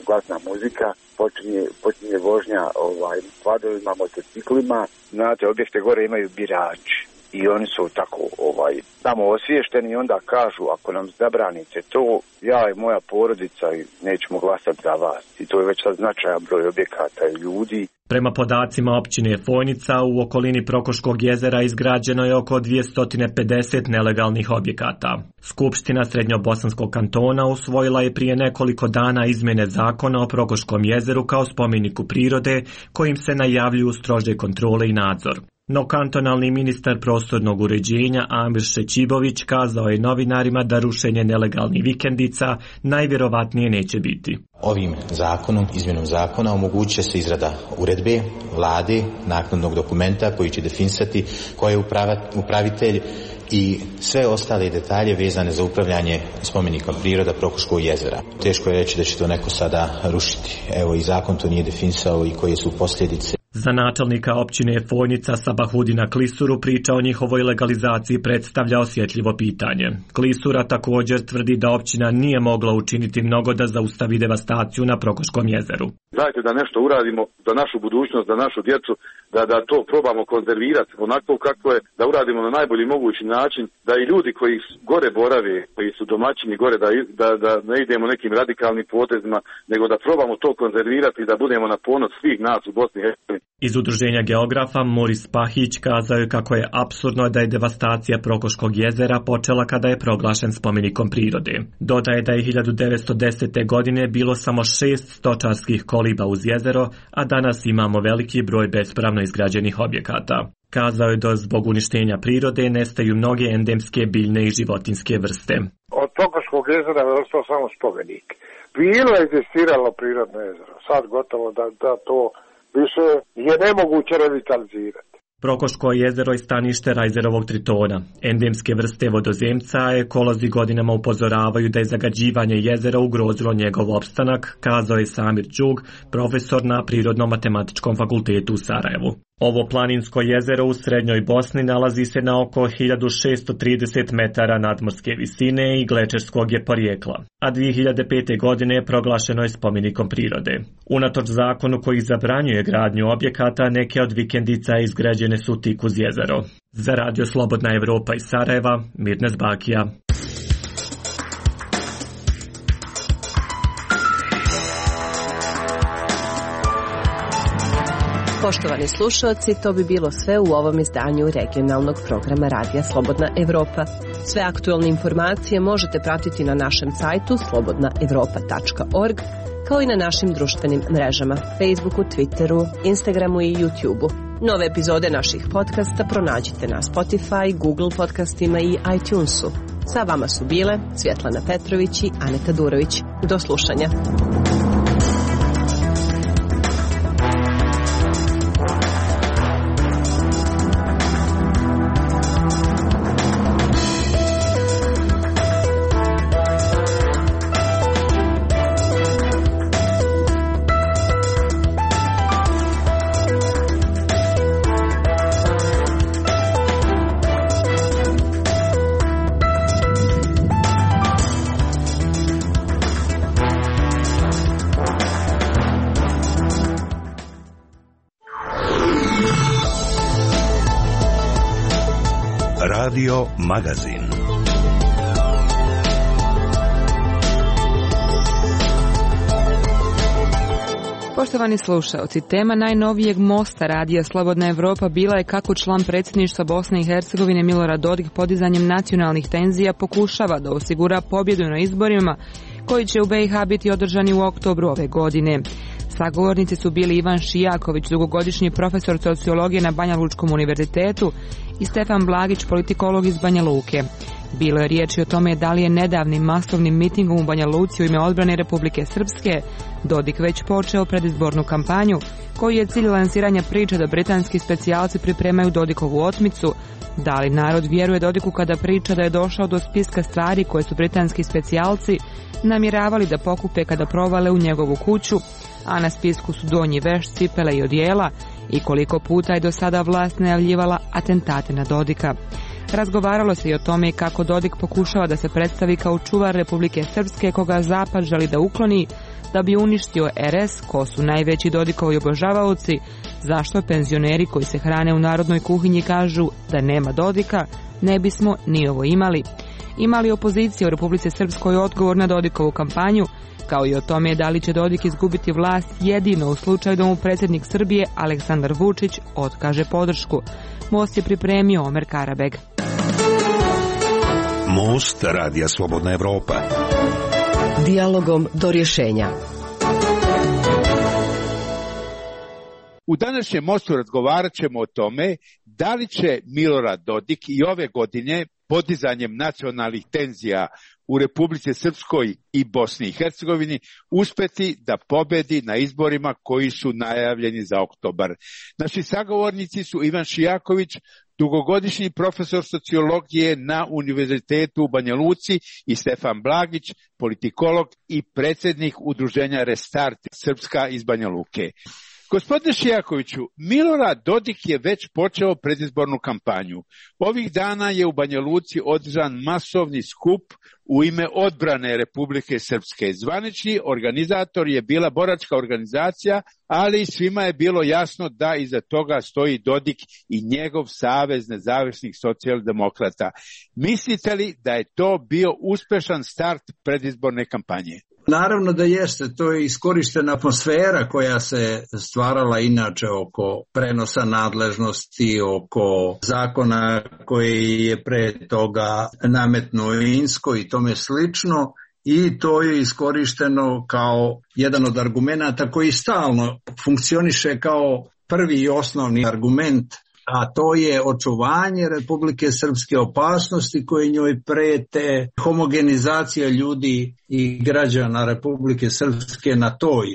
glasna muzika, počinje, počinje vožnja ovaj, kvadrovima, motociklima. Znate, objekte gore imaju birači i oni su tako ovaj, samo osviješteni i onda kažu ako nam zabranite to, ja i moja porodica nećemo glasati za vas. I to je već sad značajan broj objekata i ljudi. Prema podacima općine Fojnica, u okolini Prokoškog jezera izgrađeno je oko dvjesto pedeset nelegalnih objekata. Skupština Srednjobosanskog kantona usvojila je prije nekoliko dana izmjene zakona o Prokoškom jezeru kao spomeniku prirode, kojim se najavljuju strože kontrole i nadzor. No kantonalni ministar prostornog uređenja Amir Šećibović kazao je novinarima da rušenje nelegalnih vikendica najvjerovatnije neće biti. Ovim zakonom, izmjenom zakona, omogućuje se izrada uredbe, vlade, naknadnog dokumenta koji će definisati ko je upravitelj i sve ostale detalje vezane za upravljanje spomenikom priroda Prokoškog jezera. Teško je reći da će to neko sada rušiti. Evo i zakon to nije definisao i koje su posljedice. Za načelnika općine Fojnica Sabahudina Klisuru priča o njihovoj legalizaciji predstavlja osjetljivo pitanje. Klisura također tvrdi da općina nije mogla učiniti mnogo da zaustavi devastaciju na Prokoškom jezeru. Dajte da nešto uradimo za našu budućnost, za našu djecu, da, da to probamo konzervirati onako kako je, da uradimo na najbolji mogući način, da i ljudi koji gore borave, koji su domaćini gore, da, da, da ne idemo nekim radikalnim potezima, nego da probamo to konzervirati i da budemo na ponos svih nas u Bosni i Hercegovini. Iz udruženja geografa Moris Pahić kazao je kako je apsurdno da je devastacija Prokoškog jezera počela kada je proglašen spomenikom prirode. Dodaje da je hiljadu devetsto desete. godine bilo samo šest stočarskih koliba uz jezero, a danas imamo veliki broj bespravno izgrađenih objekata. Kazao je da zbog uništenja prirode nestaju mnoge endemske biljne i životinjske vrste. Od Prokoškog jezera je ostao samo spomenik. Bilo je egzistiralo prirodno jezero, sad gotovo da, da to više je nemoguće revitalizirati. Prokoško jezero je stanište rajzerovog tritona. Endemske vrste vodozemca, ekolozi godinama upozoravaju da je zagađivanje jezera ugrozilo njegov opstanak, kazao je Samir Đug, profesor na Prirodno-matematičkom fakultetu u Sarajevu. Ovo planinsko jezero u srednjoj Bosni nalazi se na oko hiljadu šesto trideset metara nadmorske visine i glečerskog je porijekla, a dvije hiljade pete. godine proglašeno je spomenikom prirode. Unatoč zakonu koji zabranjuje gradnju objekata, neke od vikendica izgrađene su tik uz jezero. Za Radio Slobodna Evropa iz Sarajeva, Mirnes Bakija. Poštovani slušalci, to bi bilo sve u ovom izdanju regionalnog programa Radija Slobodna Evropa. Sve aktualne informacije možete pratiti na našem sajtu slobodna evropa tačka org, kao i na našim društvenim mrežama, Facebooku, Twitteru, Instagramu i YouTubeu. Nove epizode naših podcasta pronađite na Spotify, Google podcastima i iTunesu. Sa vama su bile Svjetlana Petrović i Aneta Durović. Do slušanja. Radio Magazin. Poštovani slušaoci, tema najnovijeg mosta Radija Slobodna Evropa bila je kako član predsjedništva Bosne i Hercegovine Milorad Dodik podizanjem nacionalnih tenzija pokušava da osigura pobjedu na izborima koji će u B i H biti održani u oktobru ove godine. Sagovornici su bili Ivan Šijaković, dugogodišnji profesor sociologije na Banja Lučkom univerzitetu, i Stefan Blagić, politikolog iz Banja Luke. Bilo je riječi o tome da li je nedavnim masovnim mitingom u Banja Luci u ime odbrane Republike Srpske Dodik već počeo predizbornu kampanju, koji je cilj lansiranja priče da britanski specijalci pripremaju Dodikovu otmicu. Da li narod vjeruje Dodiku kada priča da je došao do spiska stvari koje su britanski specijalci namjeravali da pokupe kada provale u njegovu kuću, a na spisku su donji veš, cipele i odijela, i koliko puta je do sada vlast najavljivala atentate na Dodika. Razgovaralo se i o tome kako Dodik pokušava da se predstavi kao čuvar Republike Srpske koga Zapad želi da ukloni, da bi uništio R S, ko su najveći Dodikovi obožavaoci, zašto penzioneri koji se hrane u narodnoj kuhinji kažu da nema Dodika, ne bismo ni ovo imali. Imali opozicija u Republici Srpskoj odgovor na Dodikovu kampanju, kao i o tome da li će Dodik izgubiti vlast jedino u slučaju da mu predsjednik Srbije Aleksandar Vučić otkaže podršku. Most je pripremio Omer Karabeg. Most Radija Slobodna Evropa. Dijalogom do rješenja. U današnjem mostu razgovarat ćemo o tome da li će Milorad Dodik i ove godine podizanjem nacionalnih tenzija u Republici Srpskoj i Bosni i Hercegovini uspeti da pobedi na izborima koji su najavljeni za oktobar. Naši sagovornici su Ivan Šijaković, dugogodišnji profesor sociologije na Univerzitetu u Banja Luci, i Stefan Blagić, politikolog i predsjednik udruženja Restart Srpska iz Banja Luke. Gospodine Šijakoviću, Milorad Dodik je već počeo predizbornu kampanju. Ovih dana je u Banja Luci održan masovni skup u ime odbrane Republike Srpske. Zvanični organizator je bila boračka organizacija, ali svima je bilo jasno da iza toga stoji Dodik i njegov Savez nezavisnih socijaldemokrata. Mislite li da je to bio uspešan start predizborne kampanje? Naravno da jeste, to je iskorištena atmosfera koja se stvarala inače oko prenosa nadležnosti, oko zakona koji je pre toga nametnuo Insko i tome slično, i to je iskorišteno kao jedan od argumenata koji stalno funkcioniše kao prvi i osnovni argument, a to je očuvanje Republike Srpske, opasnosti koje njoj prete, homogenizacija ljudi i građana Republike Srpske na toj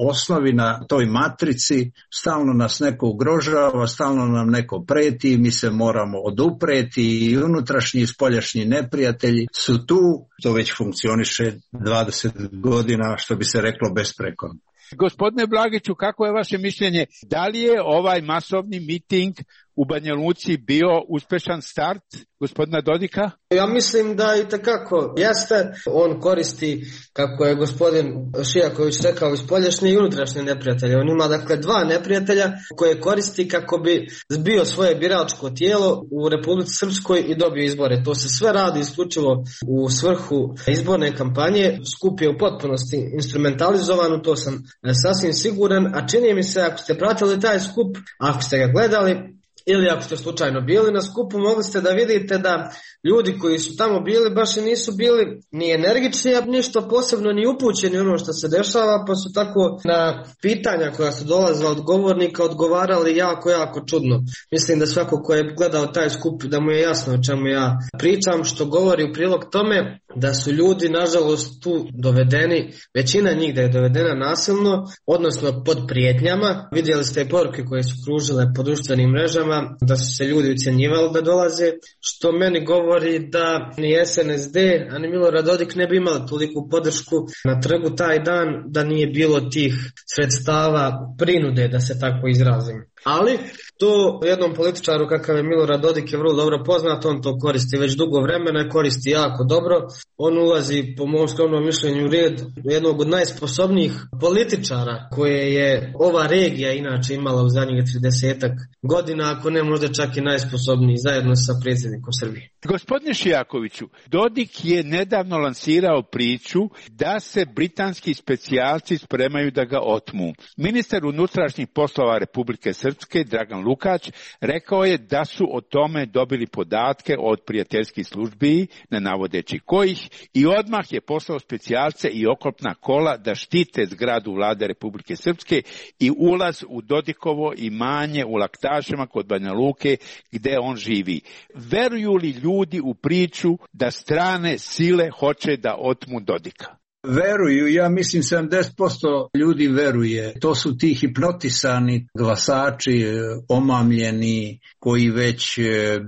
osnovi, na toj matrici. Stalno nas neko ugrožava, stalno nam neko preti, mi se moramo odupreti, i unutrašnji i spoljašnji neprijatelji su tu. To već funkcioniše dvadeset godina, što bi se reklo, besprekorno. Gospodine Blagiću, kako je vaše mišljenje? Da li je ovaj masovni miting u Banja Luci bio uspešan start gospodina Dodika? Ja mislim da i tekako jeste. On koristi, kako je gospodin Šijaković rekao, i spoljašnje i unutrašnje neprijatelje. On ima dakle dva neprijatelja koje koristi kako bi zbio svoje biračko tijelo u Republici Srpskoj i dobio izbore. To se sve radi isključivo u svrhu izborne kampanje. Skup je u potpunosti instrumentalizovan, to sam sasvim siguran, a čini mi se, ako ste pratili taj skup, ako ste ga gledali, ili ako ste slučajno bili na skupu, mogli ste da vidite da ljudi koji su tamo bili baš i nisu bili ni energični, a ništa posebno ni upućeni ono što se dešava, pa su tako na pitanja koja su dolazila od govornika odgovarali jako, jako čudno. Mislim da svako ko je gledao taj skup da mu je jasno o čemu ja pričam, što govori u prilog tome da su ljudi nažalost tu dovedeni, većina njih da je dovedena nasilno, odnosno pod prijetnjama. Vidjeli ste poruke koje su kružile po društvenim mrežama, da su se ljudi ucjenjivali da dolaze, što meni govori da ni S N S D, a ni Milorad Dodik ne bi imali toliku podršku na trgu taj dan da nije bilo tih sredstava prinude, da se tako izrazim. Ali to jednom političaru kakav je Milorad Dodik je vrlo dobro poznat, on to koristi već dugo vremena, koristi jako dobro. On ulazi po mom skromnom mišljenju u red jednog od najsposobnijih političara koje je ova regija inače imala u zadnjih tridesetak godina, ako ne možda čak i najsposobniji zajedno sa predsjednikom Srbije. Gospodine Šijakoviću, Dodik je nedavno lansirao priču da se britanski specijalci spremaju da ga otmu. Ministar unutrašnjih poslova Republike Srpske, Dragan Lukač, rekao je da su o tome dobili podatke od prijateljskih službi, ne navodeći kojih, i odmah je poslao specijalce i oklopna kola da štite zgradu vlade Republike Srpske i ulaz u Dodikovo imanje u Laktašima kod Banja Luke gde on živi. Veruju li ljudi u priču da strane sile hoće da otmu Dodika? Veruju, ja mislim sedamdeset posto ljudi veruje. To su ti hipnotisani glasači, omamljeni, koji već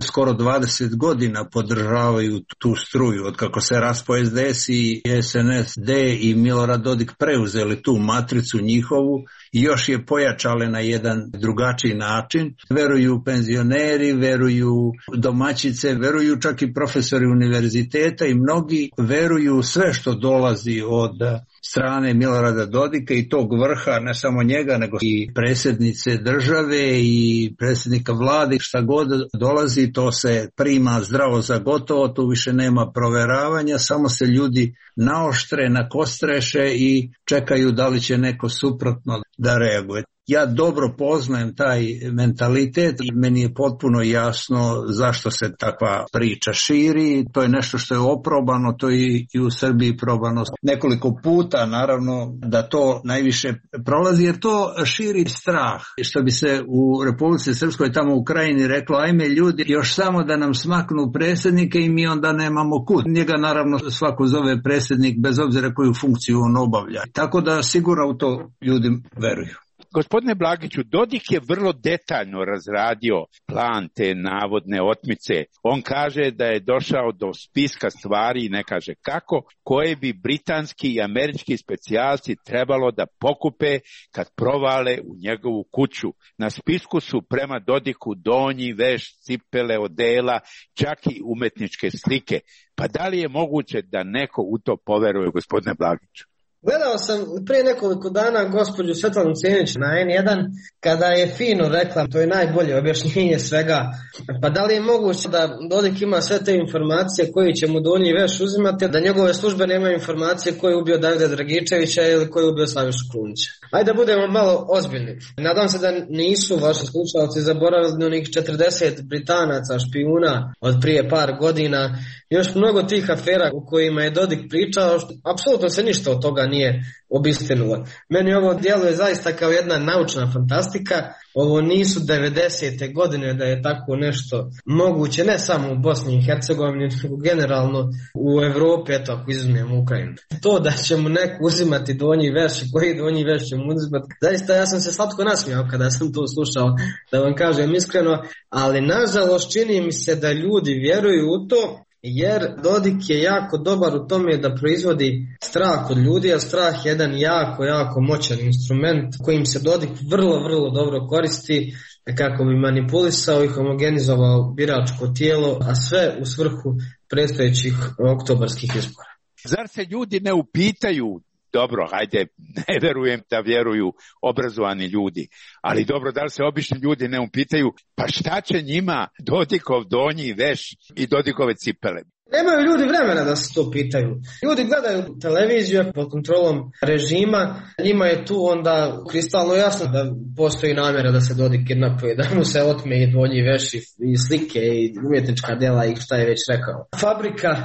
skoro dvadeset godina podržavaju tu struju. Od kako se raspao S D S i S N S D i Milorad Dodik preuzeli tu matricu njihovu i još je pojačale na jedan drugačiji način. Veruju penzioneri, veruju domaćice, veruju čak i profesori univerziteta i mnogi veruju sve što dolazi od strane Milorada Dodika i tog vrha, ne samo njega, nego i predsjednice države i predsjednika vlade. Šta god dolazi, to se prima zdravo za gotovo, tu više nema proveravanja, samo se ljudi naoštre, nakostreše i čekaju da li će neko suprotno da reaguje. Ja dobro poznajem taj mentalitet i meni je potpuno jasno zašto se takva priča širi. To je nešto što je oprobano, to je i u Srbiji probano nekoliko puta, naravno da to najviše prolazi, jer to širi strah. Što bi se u Republici Srpskoj tamo u Krajini reklo, ajme ljudi, još samo da nam smaknu predsjednike i mi onda nemamo kud. Njega naravno svako zove predsjednik bez obzira koju funkciju on obavlja. Tako da sigurno u to ljudi veruju. Gospodine Blagiću, Dodik je vrlo detaljno razradio plan te navodne otmice. On kaže da je došao do spiska stvari, ne kaže kako, koje bi britanski i američki specijalci trebalo da pokupe kad provale u njegovu kuću. Na spisku su prema Dodiku donji, veš, cipele, odela, čak i umetničke slike. Pa da li je moguće da neko u to poveruje, gospodine Blagiću? Gledao sam prije nekoliko dana gospođu Svetlanu Cenić na N jedan kada je fino rekla, to je najbolje objašnjenje svega, pa da li je moguće da Dodik ima sve te informacije koji će mu donji veš uzimati, da njegove službe nemaju informacije koji je ubio Davida Dragičevića ili koji je ubio Slavišu Krunića. Ajde da budemo malo ozbiljni. Nadam se da nisu vaši slušalci zaboravili onih četrdeset Britanaca, špijuna od prije par godina, još mnogo tih afera u kojima je Dodik pričao, što apsolutno se ništa od toga nije obistinulo. Meni ovo djeluje zaista kao jedna naučna fantastika. Ovo nisu devedesete godine da je tako nešto moguće, ne samo u Bosni i Hercegovini, nego generalno u Evropi, eto ako izuzmemo Ukrajinu. To da će mu neko uzimati donji veš i koji donji veš će mu uzimati, zaista ja sam se slatko nasmijao kada sam to slušao, da vam kažem iskreno, ali nažalost čini mi se da ljudi vjeruju u to, jer Dodik je jako dobar u tome da proizvodi strah od ljudi, a strah je jedan jako, jako moćan instrument kojim se Dodik vrlo, vrlo dobro koristi kako bi manipulisao i homogenizovao biračko tijelo, a sve u svrhu predstojećih oktobarskih izbora. Zar se ljudi ne upitaju, dobro, hajde, ne verujem da vjeruju obrazovani ljudi, ali dobro, da li se obični ljudi ne upitaju, pa šta će njima Dodikov donji veš i Dodikove cipele? Nemaju ljudi vremena da se to pitaju. Ljudi gledaju televiziju pod kontrolom režima, njima je tu onda kristalno jasno da postoji namjera da se Dodik kidnapuje, da mu se otme i dvolji veši i slike i umjetnička djela i šta je već rekao. Fabrika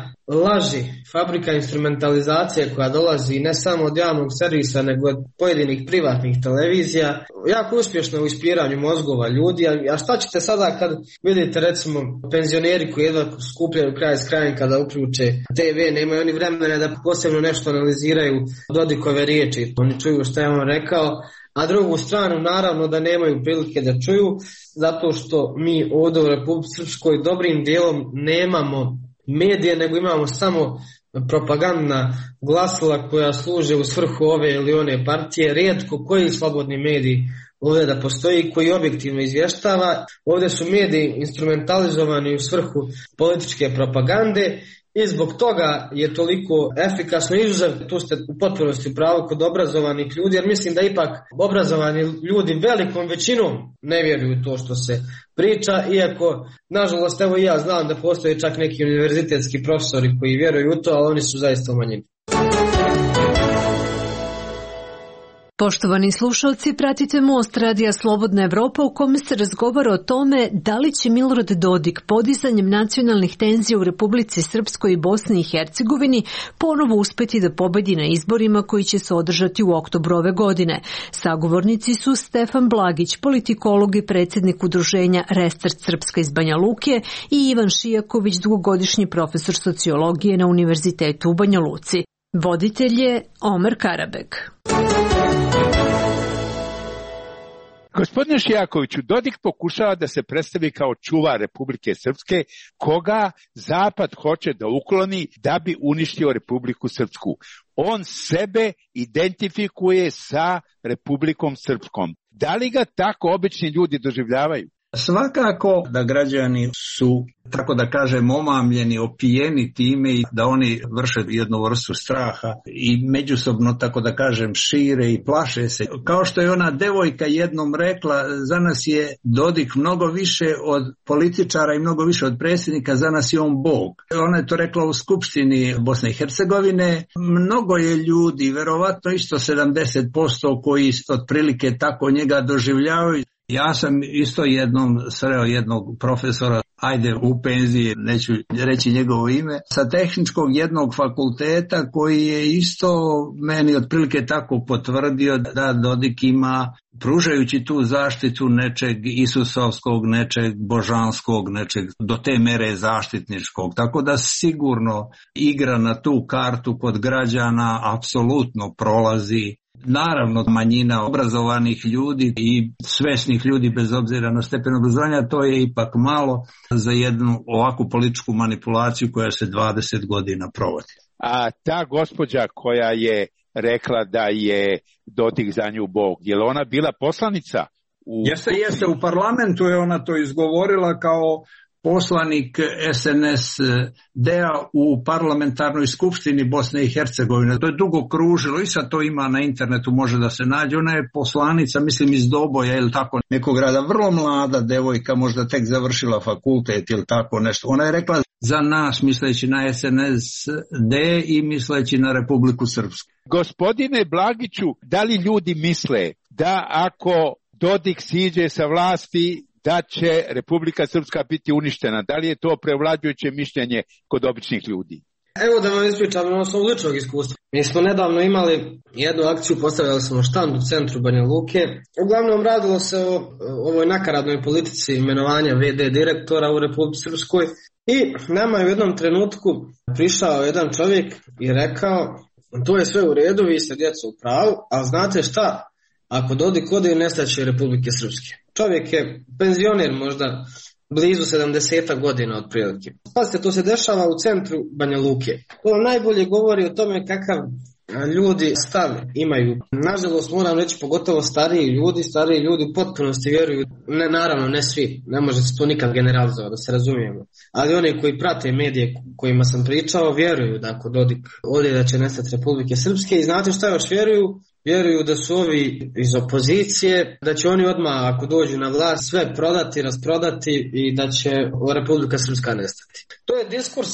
laži, fabrika instrumentalizacije koja dolazi ne samo od javnog servisa nego od pojedinih privatnih televizija, jako uspješno u ispiranju mozgova ljudi. A šta ćete sada kad vidite recimo penzioneri koji jedva skupljaju kraj s krajem kada uključe te ve, nemaju oni vremena da posebno nešto analiziraju Dodikove riječi, oni čuju što je on rekao, a drugu stranu naravno da nemaju prilike da čuju, zato što mi ovdje u Republici Srpskoj dobrim dijelom nemamo medije, nego imamo samo propagandna glasila koja služe u svrhu ove ili one partije. Rijetko koji slobodni mediji ovdje da postoji koji objektivno izvještava. Ovdje su mediji instrumentalizovani u svrhu političke propagande i zbog toga je toliko efikasno izuzev, tu ste u potpunosti u pravu kod obrazovanih ljudi, jer mislim da ipak obrazovani ljudi velikom većinom ne vjeruju to što se priča, iako nažalost evo i ja znam da postoje čak neki univerzitetski profesori koji vjeruju u to, ali oni su zaista u manjini. Poštovani slušalci, pratite Most Radija Slobodna Evropa u kome se razgovara o tome da li će Milorad Dodik podizanjem nacionalnih tenzija u Republici Srpskoj i Bosni i Hercegovini ponovo uspjeti da pobedi na izborima koji će se održati u oktobru ove godine. Sagovornici su Stefan Blagić, politikolog i predsjednik udruženja Restart Srpska iz Banja Luke, i Ivan Šijaković, dugogodišnji profesor sociologije na Univerzitetu u Banja Luci. Voditelj je Omer Karabek. Gospodine Šijakoviću, Dodik pokušava da se predstavi kao čuvar Republike Srpske, koga Zapad hoće da ukloni da bi uništio Republiku Srpsku. On sebe identifikuje sa Republikom Srpskom. Da li ga tako obični ljudi doživljavaju? Svakako da građani su, tako da kažem, omamljeni, opijeni time i da oni vrše jednu vrstu straha i međusobno, tako da kažem, šire i plaše se. Kao što je ona devojka jednom rekla, za nas je Dodik mnogo više od političara i mnogo više od predsjednika, za nas je on Bog. Ona je to rekla u Skupštini Bosne i Hercegovine. Mnogo je ljudi, verovatno isto sedamdeset posto koji otprilike tako njega doživljavaju. Ja sam isto jednom sreo jednog profesora, ajde u penziji, neću reći njegovo ime, sa tehničkog jednog fakulteta koji je isto meni otprilike tako potvrdio da Dodik ima, pružajući tu zaštitu nečeg isusovskog, nečeg božanskog, nečeg do te mere zaštitničkog. Tako da sigurno igra na tu kartu kod građana, apsolutno prolazi. Naravno, manjina obrazovanih ljudi i svesnih ljudi bez obzira na stepen obrazovanja, to je ipak malo za jednu ovakvu političku manipulaciju koja se dvadeset godina provodi. A ta gospođa koja je rekla da je Dodik za nju Bog, je li ona bila poslanica? U... Jeste, jeste, u parlamentu je ona to izgovorila kao poslanik es en es de-a u parlamentarnoj skupštini Bosne i Hercegovine. To je dugo kružilo i sad to ima na internetu, može da se nađe. Ona je poslanica, mislim, iz Doboja ili tako nekog grada, vrlo mlada devojka, možda tek završila fakultet ili tako nešto. Ona je rekla za nas, misleći na es en es de i misleći na Republiku Srpsku. Gospodine Blagiću, da li ljudi misle da ako Dodik siđe sa vlasti da će Republika Srpska biti uništena? Da li je to prevlađujuće mišljenje kod običnih ljudi? Evo da vam ispričam ono svog ličnog iskustva. Mi smo nedavno imali jednu akciju, postavljali smo štand u centru Banja Luke. Uglavnom radilo se o ovoj nakaradnoj politici imenovanja ve de direktora u Republici Srpskoj. I nama je u jednom trenutku prišao jedan čovjek i rekao, to je sve u redu, vi ste djeca u pravu, ali znate šta? Ako Dodik ode, nestaće Republike Srpske. Čovjek je penzioner, možda blizu sedamdeset godina otprilike. Pazite, to se dešava u centru Banja Luke. To najbolje govori o tome kakav ljudi stav imaju. Nažalost, moram reći, pogotovo stariji ljudi, stariji ljudi u potpunosti vjeruju, ne, naravno ne svi, ne može se to nikad generalizovati, da se razumijemo. Ali oni koji prate medije kojima sam pričao, vjeruju da ako Dodik ode da će nestati Republike Srpske. I znate šta još vjeruju? Vjeruju da su ovi iz opozicije, da će oni odmah ako dođu na vlast sve prodati, rasprodati i da će Republika Srpska nestati. To je diskurs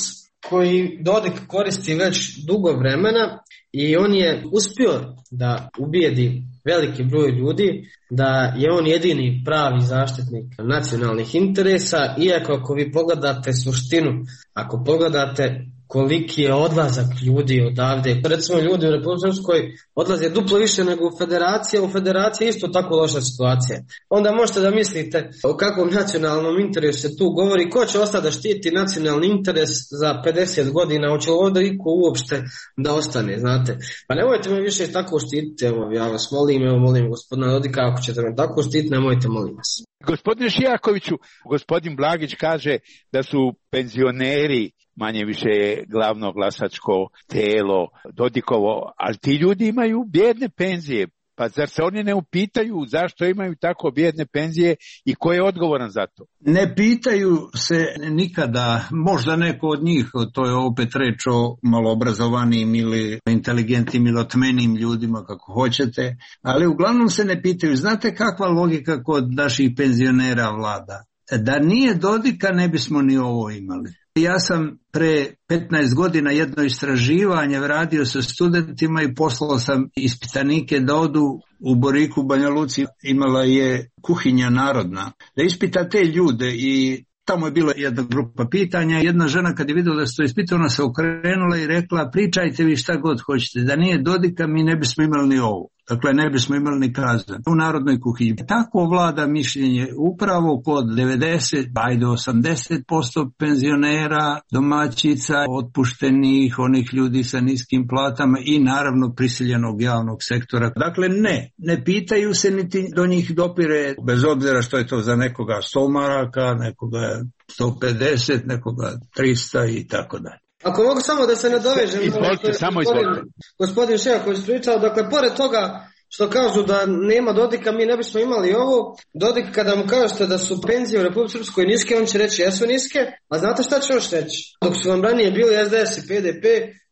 koji Dodik koristi već dugo vremena i on je uspio da ubijedi veliki broj ljudi da je on jedini pravi zaštitnik nacionalnih interesa, iako ako vi pogledate suštinu, ako pogledate koliki je odlazak ljudi odavde. Recimo ljudi u Republici Srpskoj odlaze duplo više nego u federaciji, a u federaciji je isto tako loša situacija. Onda možete da mislite o kakvom nacionalnom interesu se tu govori, ko će ostati da štiti nacionalni interes za pedeset godina, hoće li ovdje iko uopšte da ostane, znate. Pa nemojte me više tako štititi, evo, ja vas molim, evo molim gospodina Dodika, ako ćete me tako štititi, nemojte, molim vas. Gospodine Šijakoviću, gospodin Blagić kaže da su penzioneri manje više glavno glasačko telo Dodikovo, ali ti ljudi imaju bijedne penzije. Pa zar se oni ne upitaju zašto imaju tako bijedne penzije i ko je odgovoran za to? Ne pitaju se nikada, možda neko od njih, to je opet reč o maloobrazovanim ili inteligentnim ili otmenim ljudima, kako hoćete, ali uglavnom se ne pitaju. Znate kakva logika kod naših penzionera vlada? Da nije Dodika ne bismo ni ovo imali. Ja sam pre petnaest godina jedno istraživanje radio sa studentima i poslao sam ispitanike da odu u Boriku, Banja Luci, imala je kuhinja narodna, da ispita te ljude i tamo je bila jedna grupa pitanja. Jedna žena kad je vidjela da se to ispita, ona se okrenula i rekla pričajte vi šta god hoćete, da nije Dodika mi ne bismo imali ni ovo. Dakle, ne bismo imali ni kazan u narodnoj kuhinji. Tako vlada mišljenje upravo kod devedeset, pa i do osamdeset posto penzionera, domaćica, otpuštenih, onih ljudi sa niskim platama i naravno prisiljenog javnog sektora. Dakle, ne, ne pitaju se niti do njih dopire, bez obzira što je to za nekoga sto maraka, nekoga sto pedeset, nekoga tristo i tako dalje. Ako mogu samo da se nadovežem, izvolite, samo izvolite. Gospodin Šijaković pričao, dakle, pored toga što kažu da nema Dodika, mi ne bismo imali ovo. Dodik, kada mu kažete da su penzije u Republici Srpskoj niske, on će reći jesu niske, a znate šta će još reći? Dok su vam ranije bili S D S i P D P,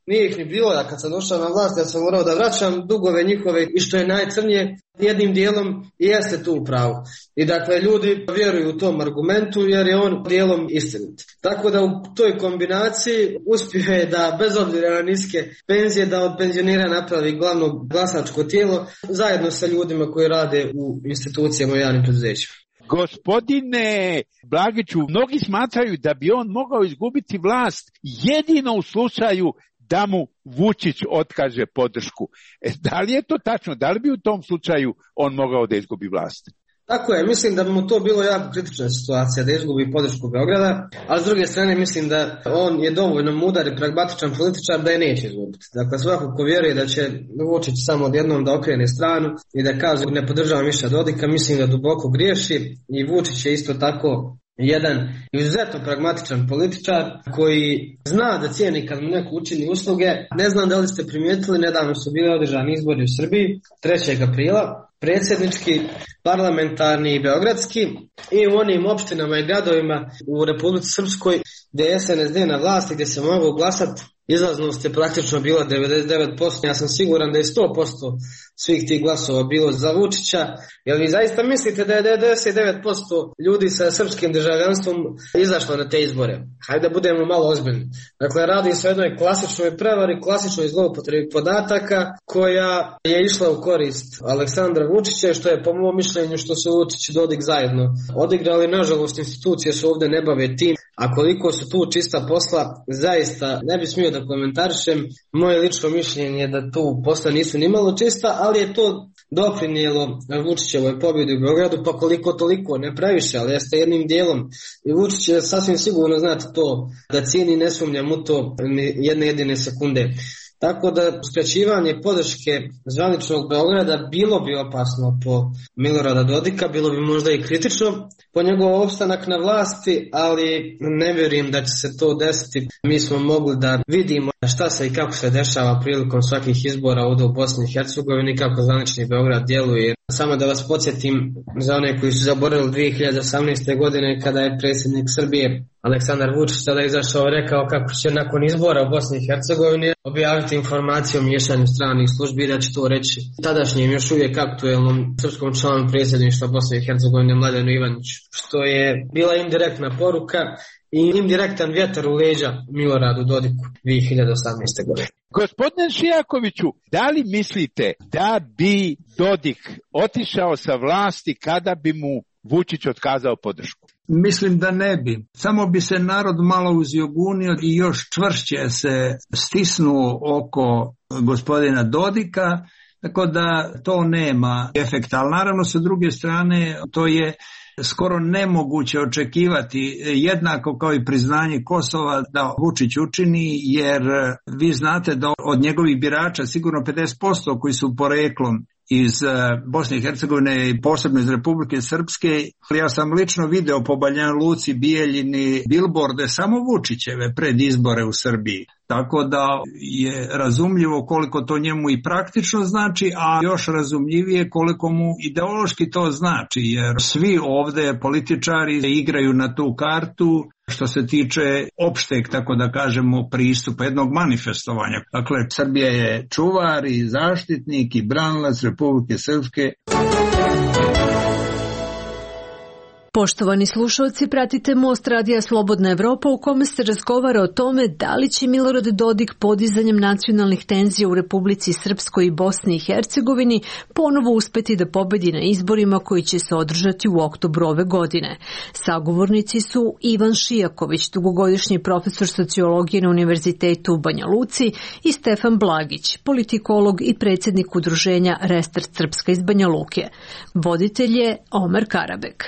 nije ih ni bilo, ja kad sam došao na vlast, ja sam morao da vraćam dugove njihove i što je najcrnije, jednim dijelom i jeste tu u pravu. I dakle, ljudi vjeruju u tom argumentu jer je on dijelom istinit. Tako da u toj kombinaciji uspio je da, bez obzira na niske penzije, da od penzionera napravi glavno glasačko tijelo zajedno sa ljudima koji rade u institucijama i javnim preduzećima. Gospodine Blagiću, mnogi smatraju da bi on mogao izgubiti vlast jedino u slučaju da mu Vučić otkaže podršku. E, da li je to tačno? Da li bi u tom slučaju on mogao da izgubi vlast? Tako je, mislim da bi mu to bilo jako kritična situacija da izgubi podršku Beograda, a s druge strane mislim da on je dovoljno mudar i pragmatičan političar da je neće izgubiti. Dakle, svako ko vjeruje da će Vučić samo odjednom da okrene stranu i da kaže ne podržavam više Dodika, mislim da duboko griješi i Vučić je isto tako jedan izuzetno pragmatičan političar koji zna da cijeni kad mu neko učini usluge. Ne znam da li ste primijetili, nedavno su bili održani izbori u Srbiji, trećeg aprila, predsjednički, parlamentarni i beogradski, i u onim opštinama i gradovima u Republici Srpskoj gdje je S N S D na vlasti, gdje se mogu glasati, izlaznost je praktično bila devedeset devet posto. Ja sam siguran da je sto posto svih tih glasova bilo za Vučića. Jel vi zaista mislite da je devedeset devet posto ljudi sa srpskim državljanstvom izašlo na te izbore? Hajde da budemo malo ozbiljni. Dakle, radi se o jednoj klasičnoj prevari, klasičnoj zloupotrebi podataka koja je išla u korist Aleksandra Vučića, što je po mom mišljenju što su Vučić i Dodik zajedno odigrali. Nažalost, institucije se ovdje ne bave tim, a koliko su tu čista posla, zaista ne bi smio da komentarišem. Moje lično mišljenje je da tu posla nisu ni malo čista, ali je to doprinijelo Vučićevoj pobjedi u Beogradu, pa koliko toliko, ne previše, ali jeste jednim dijelom. I Vučić je sasvim sigurno, znate to, da cijeni, ne sumnjam u to jedne jedine sekunde. Tako da skraćivanje podrške zvaničnog Beograda bilo bi opasno po Milorada Dodika, bilo bi možda i kritično po njegov opstanak na vlasti, ali ne vjerujem da će se to desiti. Mi smo mogli da vidimo šta se i kako se dešava prilikom svakih izbora ovdje u Bosni i Hercegovini, kako zvanični Beograd djeluje. Samo da vas podsjetim za one koji su zaboravili dvije hiljade osamnaeste. godine kada je predsjednik Srbije Aleksandar Vučić tada izašao i rekao kako će nakon izbora u Bosni i Hercegovini objaviti informaciju o miješanju stranih službi i da će to reći tadašnjem još uvijek aktuelnom srpskom članu predsjedništva Bosne i Hercegovine Mladenu Ivaniću, što je bila indirektna poruka i indirektan vjetar u leđa Miloradu Dodiku dvije hiljade osamnaeste. godine. Gospodine Šijakoviću, da li mislite da bi Dodik otišao sa vlasti kada bi mu Vučić otkazao podršku? Mislim da ne bi. Samo bi se narod malo uzjogunio i još čvršće se stisnuo oko gospodina Dodika, tako da to nema efekta. Ali naravno sa druge strane to je skoro nemoguće očekivati, jednako kao i priznanje Kosova, da Vučić učini, jer vi znate da od njegovih birača sigurno pedeset posto koji su poreklom iz Bosne i Hercegovine i posebno iz Republike Srpske. Ja sam lično video po Banja Luci, Bijeljini, bilborde samo Vučićeve pred izbore u Srbiji. Tako da je razumljivo koliko to njemu i praktično znači, a još razumljivije koliko mu ideološki to znači, jer svi ovde političari igraju na tu kartu što se tiče opšteg, tako da kažemo, pristupa, jednog manifestovanja. Dakle, Srbija je čuvar i zaštitnik i branilac Republike Srpske. Poštovani slušalci, pratite Most Radija Slobodna Evropa u kome se razgovara o tome da li će Milorad Dodik podizanjem nacionalnih tenzija u Republici Srpskoj i Bosni i Hercegovini ponovo uspeti da pobedi na izborima koji će se održati u oktobru ove godine. Sagovornici su Ivan Šijaković, dugogodišnji profesor sociologije na Univerzitetu u Banja Luci, i Stefan Blagić, politikolog i predsjednik udruženja Restart Srpska iz Banja Luke. Voditelj je Omer Karabek.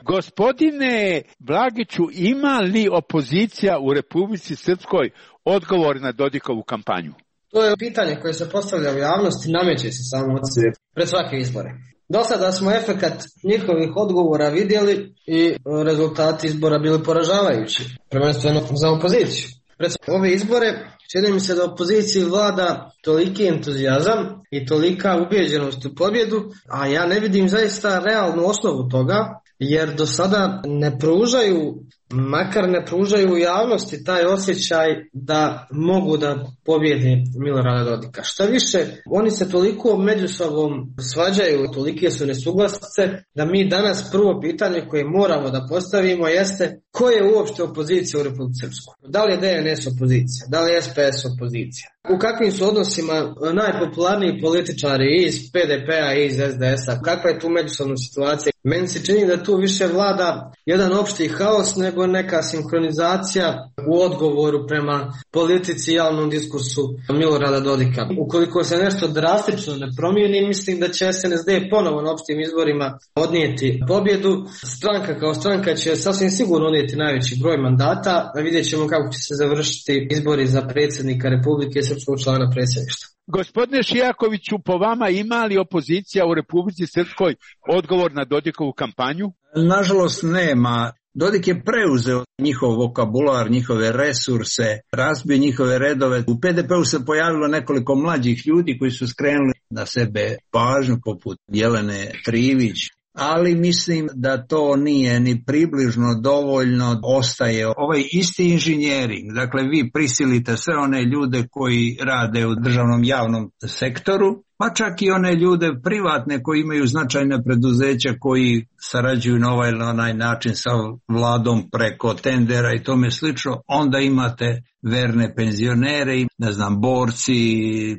Gospodine Blagiću, ima li opozicija u Republici Srpskoj odgovor na Dodikovu kampanju? To je pitanje koje se postavlja u javnosti, nameće se samo od sebe pred svake izbore. Do sada smo efekat njihovih odgovora vidjeli i rezultati izbora bili poražavajući, prvenstveno za opoziciju. Pred ove izbore čini mi se da opoziciji vlada toliki entuzijazam i tolika ubijeđenost u pobjedu, a ja ne vidim zaista realnu osnovu toga, jer do sada ne pružaju, makar ne pružaju u javnosti taj osjećaj da mogu da pobjede Milorada Dodika. Šta više, oni se toliko među sobom svađaju, tolike su nesuglasice, da mi danas prvo pitanje koje moramo da postavimo jeste ko je uopšte opozicija u Republici Srpskoj? Da li je D N S opozicija? Da li je S P S opozicija? U kakvim su odnosima najpopularniji političari iz P D P-a i iz S D S-a? Kakva je tu međusobna situacija? Meni se čini da tu više vlada jedan opšti haos nego neka sinkronizacija u odgovoru prema politici i javnom diskursu Milorada Dodika. Ukoliko se nešto drastično ne promijeni, mislim da će S N S D ponovo na opštim izborima odnijeti pobjedu. Stranka kao stranka će sasvim sigurno odnijeti najveći broj mandata, a vidjet ćemo kako će se završiti izbori za predsjednika Republike Srpskog člana predsjedništva. Gospodine Šijakoviću, po vama ima li opozicija u Republici Srpskoj odgovor na Dodikovu kampanju? Nažalost nema. Dodik je preuzeo njihov vokabular, njihove resurse, razbio njihove redove. U P D P-u se pojavilo nekoliko mlađih ljudi koji su skrenuli na sebe pažnju, poput Jelene Trivić. Ali mislim da to nije ni približno dovoljno, ostaje ovaj isti inženjering. Dakle, vi prisilite sve one ljude koji rade u državnom javnom sektoru, pa čak i one ljude privatne koji imaju značajne preduzeća koji sarađuju na ovaj ili onaj način sa vladom preko tendera i tome slično, onda imate verne penzionere i ne znam, borci,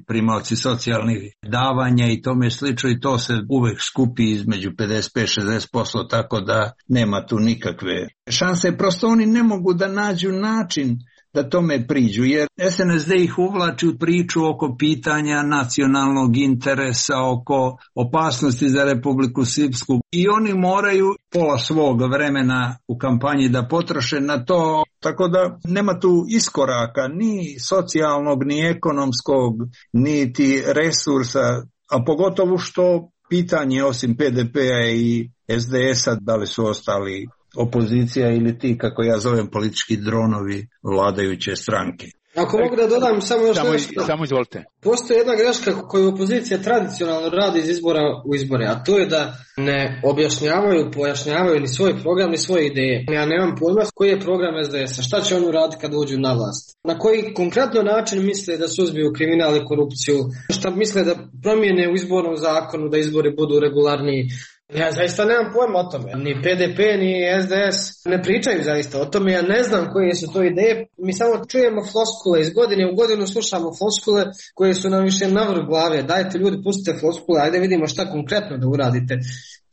primaoci socijalnih davanja i tome slično, i to se uvek skupi između pedeset pet do šezdeset posto, tako da nema tu nikakve šanse. Prosto oni ne mogu da nađu način da tome priđu, jer S N S D ih uvlači u priču oko pitanja nacionalnog interesa, oko opasnosti za Republiku Srpsku, i oni moraju pola svog vremena u kampanji da potroše na to, tako da nema tu iskoraka ni socijalnog, ni ekonomskog, niti resursa, a pogotovo što pitanje osim P D P-a i S D S-a, da li su ostali opozicija ili ti, kako ja zovem, politički dronovi vladajuće stranke. Ako mogu da dodam samo još samo, nešto. Samo izvolite. Postoji jedna greška koju opozicija tradicionalno radi iz izbora u izbore, a to je da ne objašnjavaju, pojašnjavaju ni svoj program, ni svoje ideje. Ja nemam pojma koji je program S D S-a, šta će oni uraditi kad uđu na vlast. Na koji konkretno način misle da suzbiju kriminal i korupciju, šta misle da promijene u izbornom zakonu, da izbori budu regularniji. Ja zaista nemam pojma o tome. Ni P D P, ni S D S ne pričaju zaista o tome. Ja ne znam koje su to ideje. Mi samo čujemo floskule. Iz godine u godinu slušamo floskule koje su nam više navrh glave. Dajte ljudi, pustite floskule, ajde vidimo šta konkretno da uradite.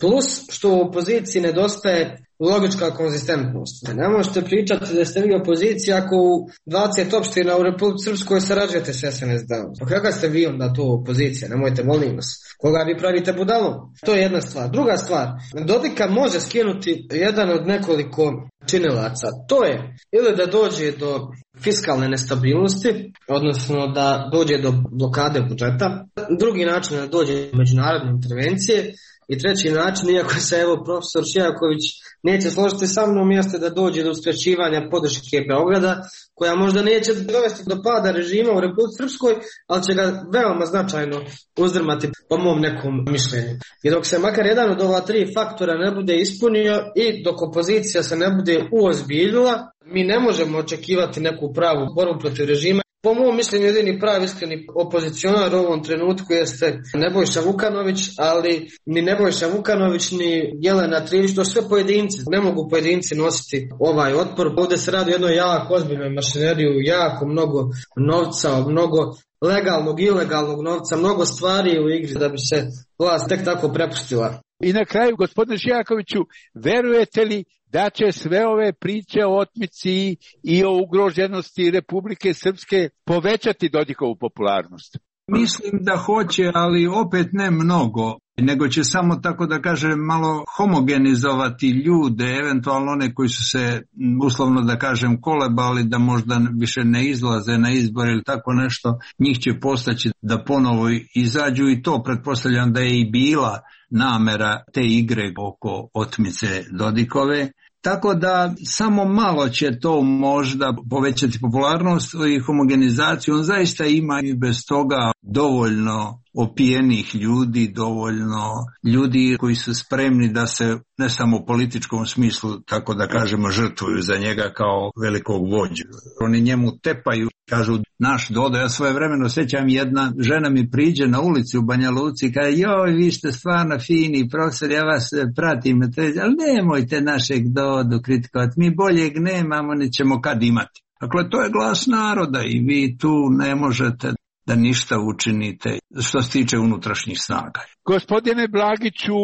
Plus što u opoziciji nedostaje logička konzistentnost. Ne možete pričati da ste vi opozicija ako u dvadeset opština u Republici Srpskoj sarađujete s S N S D-om. Pa kakva ste vi onda to opozicija? Nemojte, molim vas. Koga vi pravite budalom? To je jedna stvar. Druga stvar, Dodika može skinuti jedan od nekoliko činilaca. To je ili da dođe do fiskalne nestabilnosti, odnosno da dođe do blokade budžeta. Drugi način je da dođe do međunarodne intervencije. I treći način, iako se evo profesor Šijaković neće složiti sa mnom, jeste da dođe do uskraćivanja podrške Beograda, koja možda neće dovesti do pada režima u Republici Srpskoj, ali će ga veoma značajno uzdrmati po mom nekom mišljenju. I dok se makar jedan od ova tri faktora ne bude ispunio i dok opozicija se ne bude uozbiljila, mi ne možemo očekivati neku pravu borbu protiv režima. Po mom mišljenju jedini pravi iskreni opozicionar u ovom trenutku jeste Nebojša Vukanović, ali ni Nebojša Vukanović ni Jelena Trivić, to sve pojedinci. Ne mogu pojedinci nositi ovaj otpor. Ovdje se radi o jednoj jako ozbiljnoj mašineriju, jako mnogo novca, mnogo legalnog i ilegalnog novca, mnogo stvari u igri da bi se vlast tek tako prepustila. I na kraju, gospodine Šijakoviću, verujete li da će sve ove priče o otmici i o ugroženosti Republike Srpske povećati Dodikovu popularnost? Mislim da hoće, ali opet ne mnogo, nego će samo, tako da kažem, malo homogenizovati ljude, eventualno one koji su se, uslovno da kažem, kolebali, da možda više ne izlaze na izbor ili tako nešto, njih će postaći da ponovo izađu i to pretpostavljam da je i bila namera te igre oko otmice Dodikove. Tako da samo malo će to možda povećati popularnost i homogenizaciju. On zaista ima i bez toga dovoljno opijenih ljudi, dovoljno ljudi koji su spremni da se ne samo u političkom smislu, tako da kažemo, žrtvuju za njega kao velikog vođu. Oni njemu tepaju, kažu naš Dodo. Ja svoje vremeno sjećam, jedna žena mi priđe na ulici u Banja Luci i kaže, joj, vi ste stvarno fini profesor, ja vas pratim, ali nemojte našeg Dodu kritikovati, mi boljeg nemamo, nećemo kad imati. Dakle, to je glas naroda i vi tu ne možete da ništa učinite što se tiče unutrašnjih snaga. Gospodine Blagiću,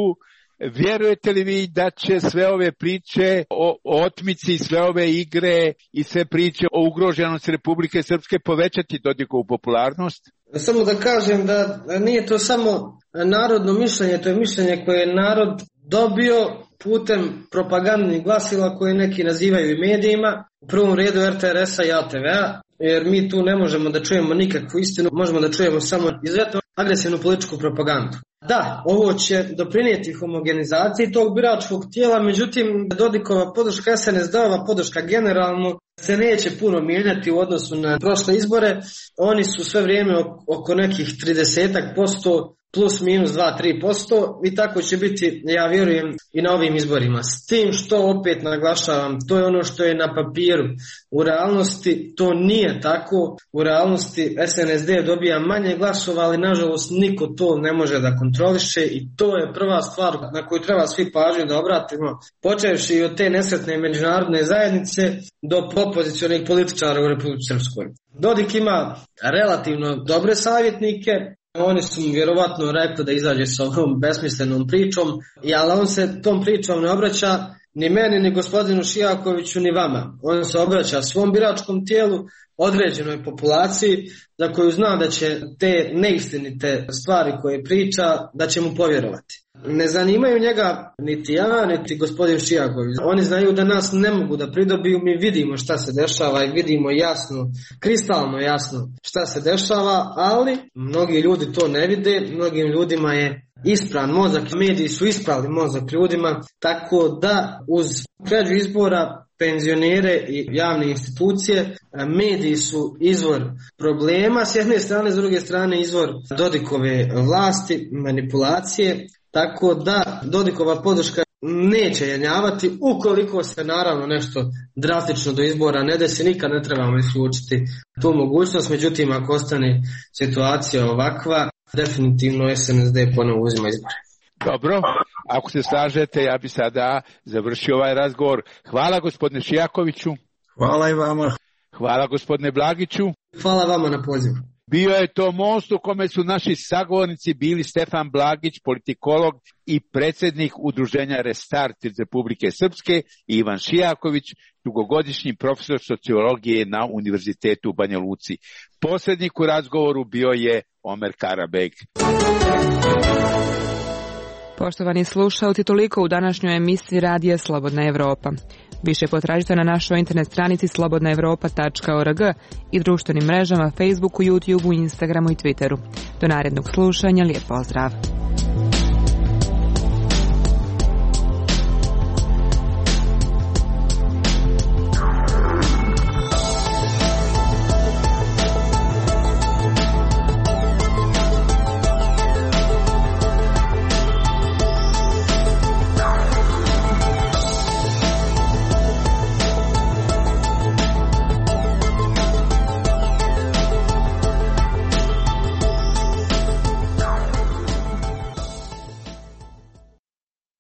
vjerujete li vi da će sve ove priče o otmici, sve ove igre i sve priče o ugroženosti Republike Srpske povećati Dodikovu popularnost? Samo da kažem da nije to samo narodno mišljenje, to je mišljenje koje je narod dobio putem propagandnih glasila koje neki nazivaju i medijima, u prvom redu R T R S-a i A T V-a, jer mi tu ne možemo da čujemo nikakvu istinu, možemo da čujemo samo izuzetno agresivnu političku propagandu. Da, ovo će doprinijeti homogenizaciji tog biračkog tijela, međutim Dodikova podrška, S N S D-ova podrška generalno se neće puno mijenjati u odnosu na prošle izbore. Oni su sve vrijeme oko nekih trideset posto plus minus dva do tri posto i tako će biti, ja vjerujem, i na ovim izborima. S tim što opet naglašavam, to je ono što je na papiru. U realnosti to nije tako. U realnosti S N S D dobija manje glasova, ali nažalost niko to ne može da kontroliše i to je prva stvar na koju treba svi pažnju da obratimo, počevši od te nesretne međunarodne zajednice do opozicionih političara u Republici Srpskoj. Dodik ima relativno dobre savjetnike. Oni su mu vjerovatno rekli da izađe sa ovom besmislenom pričom, ali on se tom pričom ne obraća ni meni, ni gospodinu Šijakoviću, ni vama. On se obraća svom biračkom tijelu, određenoj populaciji, za koju zna da će te neistinite stvari koje priča, da će mu povjerovati. Ne zanimaju njega niti ja, niti gospodin Šijaković. Oni znaju da nas ne mogu da pridobiju, mi vidimo šta se dešava i vidimo jasno, kristalno jasno šta se dešava, ali mnogi ljudi to ne vide, mnogim ljudima je ispran mozak, mediji su isprali mozak ljudima, tako da uz krađu izbora, penzionere i javne institucije, mediji su izvor problema s jedne strane, s druge strane izvor Dodikove vlasti, manipulacije, tako da Dodikova podrška neće jenjavati ukoliko se naravno nešto drastično do izbora ne desi, nikad ne trebamo isključiti tu mogućnost, međutim ako ostane situacija ovakva, definitivno S N S D ponovo uzima izbore. Dobro, ako se slažete, ja bi sada završio ovaj razgovor. Hvala gospodine Šijakoviću. Hvala i vama. Hvala gospodine Blagiću. Hvala vama na pozivu. Bio je to most u kome su naši sagovornici bili Stefan Blagić, politikolog i predsjednik udruženja Restart iz Republike Srpske, i Ivan Šijaković, dugogodišnji profesor sociologije na Univerzitetu u Banja Luci. Posrednik u razgovoru bio je Omer Karabeg. Poštovani slušalci, toliko u današnjoj emisiji Radija Slobodna Evropa. Više potražite na našoj internet stranici slobodna evropa tačka org i društvenim mrežama Facebooku, YouTubeu, Instagramu i Twitteru. Do narednog slušanja, lijep pozdrav.